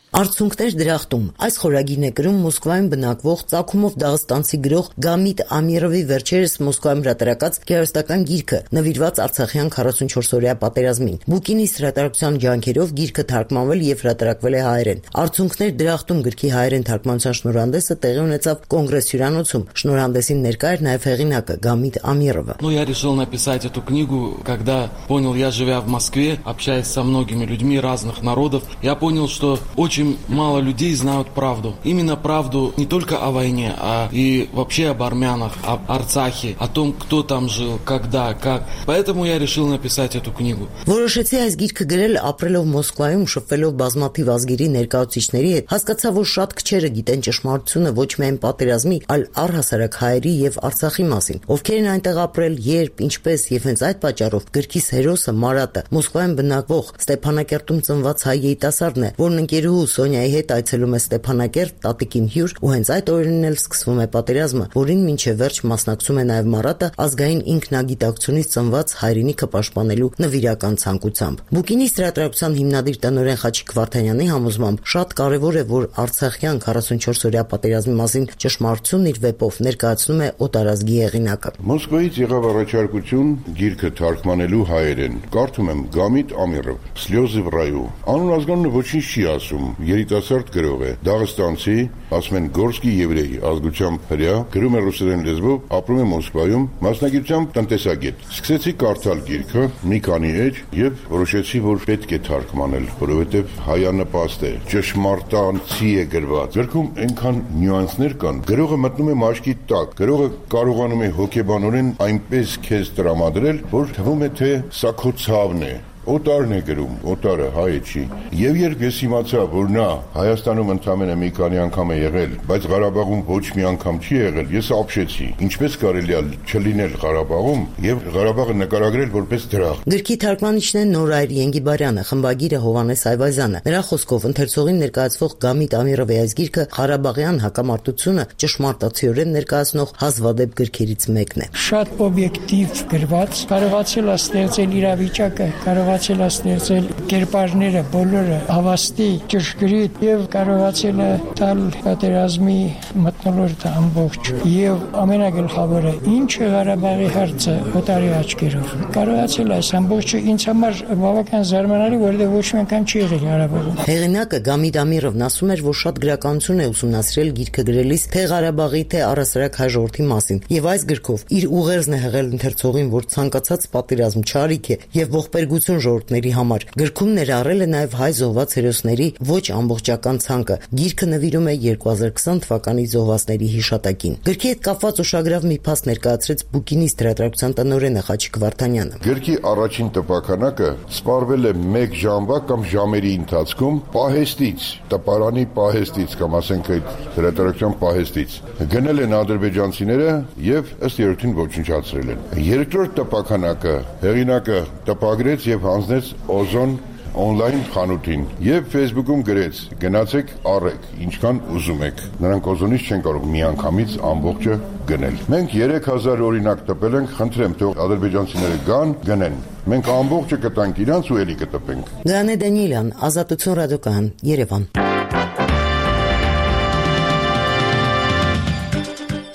Արցունքներ դրախտում։ Այս խորագիրն է գրում Մոսկվայում բնակվող Ծագումով դաղստանցի գրող Գամիտ Ամիրովի վերջերս Մոսկվայում հրատարակած գեղարվեստական գիրքը, նվիրված Արցախյան 44-օրյա պատերազմին։ Բուկինիս հրատարակության ջանքերով գիրքը թարգմանվել եւ հրատարակվել է հայերեն։ Արցունքներ դրախտում գրքի հայերեն թարգմանության շնորհանդեսը տեղի ունեցավ Կոնգրես հյուրանոցում։ Շնորհանդեսին ներկա էր նաեւ հեղինակը Գամիտ Ամիրովը։ Я решил написать эту книгу, когда понял, я живя в Москве, общаясь со многими людьми разных народов, я понял, что очень мало людей знают правду. Именно правду не только о войне, а и вообще об армянах, об Арцахе, о том, кто там жил, когда, как. Поэтому я решил написать эту книгу. Որոշեցի այս գիրքը գրել ապրելով Մոսկվայում, շփվելով բազմաթիվ ազգերի ներկայացուցիչների հետ, հասկացա, որ շատ քչերը գիտեն ճշմարտությունը ոչ միայն պատերազմի, այլ առհասարակ հայերի եւ Արցախի մասին, ովքեր են այնտեղ ապրել, երբ, ինչպես եւ հենց այդ պատճառով գրքիս հերոսը Մարատը Մոսկվայում բնակվող Ստեփանակերտում ծնված հայ երիտասարդն է, որն ընկերուհու Սոնյայի հետ այցելում է Ստեփանակերտ, տատիկին հյուր, ու հենց այդ օրերին էլ սկսվում է պատերազմը, որին մինչև վերջ մասնակցում է նաև Մարատը ազգային ինքնագիտակցությունից ծնված հայրենիքը պաշտպանելու նվիրական ցանկությամբ։ Բուկինիս հրատարակության հիմնադիր տնօրեն Խաչիկ Վարդանյանի համոզմամբ շատ կարևոր է, որ Արցախյան 44-օրյա պատերազմի մասին ճշմարտությունն իր վեպով ներկայացնում է օտարազգի հեղինակը։ Մոսկվայից եղավ առաջարկություն գիրքը թարգմանելու հայերեն։ Կարդում եմ Գամիտ Ամիրով, Սլյոզы в раю։ Անուն ազգանունը ոչինչ չի ասում, երիտասարդ գրող է, դաղստանցի, ասում են գորսկի եվրեյ, ազգությամբ հրեա, գրում է ռուսերեն լեզվով, ապրում է Մոսկվայում, մասնագիտությամբ տնտեսագետ։ Սկսեցի կարդալ գիրքը մի քանի էջ եւ որոշեցի, որ պետք է թարգմանել, որովհետեւ հայանպաստ է, ճշմարտանցի է գրված։ Գրքում այնքան նյուանսներ կան, գրողը մտնում է մաշկի տակ, գրողը կարողանում է հոգեբանորեն այնպես քեզ տրամադրել, որ թվում է թե սա քո ցավն է։ Օտարն է գրում, օտարը հայ չի։ Եվ երբ ես իմացա, որ նա Հայաստանում ընդամենը մի քանի անգամ է եղել, բայց Ղարաբաղում ոչ մի անգամ չի եղել, ես ապշեցի։ Ինչպես կարելի է չլինել Ղարաբաղում եւ Ղարաբաղը նկարագրել որպես դրախտ։ Գրքի թարգմանիչն է Նորայր Ենգիբարյանը, խմբագիրը Հովանես Այվազյանը։ Նրա խոսքով ընթերցողին ներկայացվող Գամիտ Ամիրովի այս գիրքը Ղարաբաղյան հակամարտությունը ճշմարտացիորեն ներկայացնող հազվադեպ գրքերից մեկն է։ Շատ օբյեկտիվ գրված, կարողացել է ստեղծել իրավիճակը, կարողացել կարողացել է ստեղծել կերպարները բոլորը հավաստի, ճշգրիտ եւ կարողացել է տալ պատերազմի մթնոլորտը ամբողջ եւ ամենագլխավորը ինչը Ղարաբաղի հարցը օտարի աչքերով կարողացել է այս ամբողջը ինձ համար բավական զարմանալի, որովհետեւ ոչ մի անգամ չի եղել Ղարաբաղում։ Հեղինակը Գամիդ Ամիրովն ասում էր, որ շատ գրականություն է ուսումնասիրել գիրքը գրելիս թե Ղարաբաղի, թե առասարակ հայ ժողովրդի մասին, եւ այս գրքով իր ուղերձն է հղել ընթերցողին, որ ցանկացած պատերազմ չարիք է եւ ողբերգություն ժողովրդների համար։ Գրքում ներառել է նաեւ հայ զոհված հերոսների ոչ ամբողջական ցանկը։ Գիրքը նվիրում է 2020 թվականի զոհվածների հիշատակին։ Գրքի հետ կապված ուշագրավ մի փաստ ներկայացրեց Բուկինիստ հրատարակության տնօրենը Խաչիկ Վարդանյանը։ Գրքի առաջին տպականակը սպառվել է 1 ժամվա կամ ժամերի ընթացքում պահեստից, տպարանի պահեստից կամ ասենք այդ հրատարակության պահեստից գնել են ադրբեջանցիները եւ ըստ երևույթին ոչնչացրել են։ Երկրորդ տպականակը հեղինակը տպագրեց եւ հանձնեց Օզոն on-line խանութին եւ Facebook-ում գրեց. գնացեք առեք, ինչքան ուզում եք։ Նրանք Օզոնից չեն կարող միանգամից ամբողջը գնել։ Մենք 3000 օրինակ տպել ենք, խնդրեմ, թող ադրբեջանցիները գան, գնեն։ Մենք ամբողջը կտանք իրանց ու էլի կտպենք։ Գանե Դանիելյան, Ազատություն ռադիոկայան, Երևան։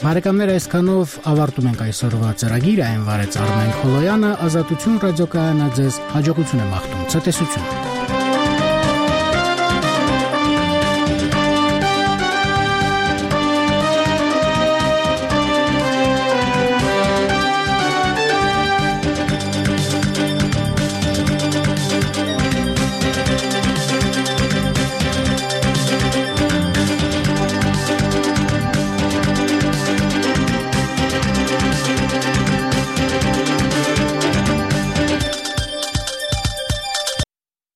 Բարեկամներ, այսքանով ավարտում ենք այսօրվա ծրագիրը, այն վարեց Արմեն Խոլոյանը, Ազատություն ռադիոկայանը ձեզ հաջողություն է մաղթում, ցտեսություն։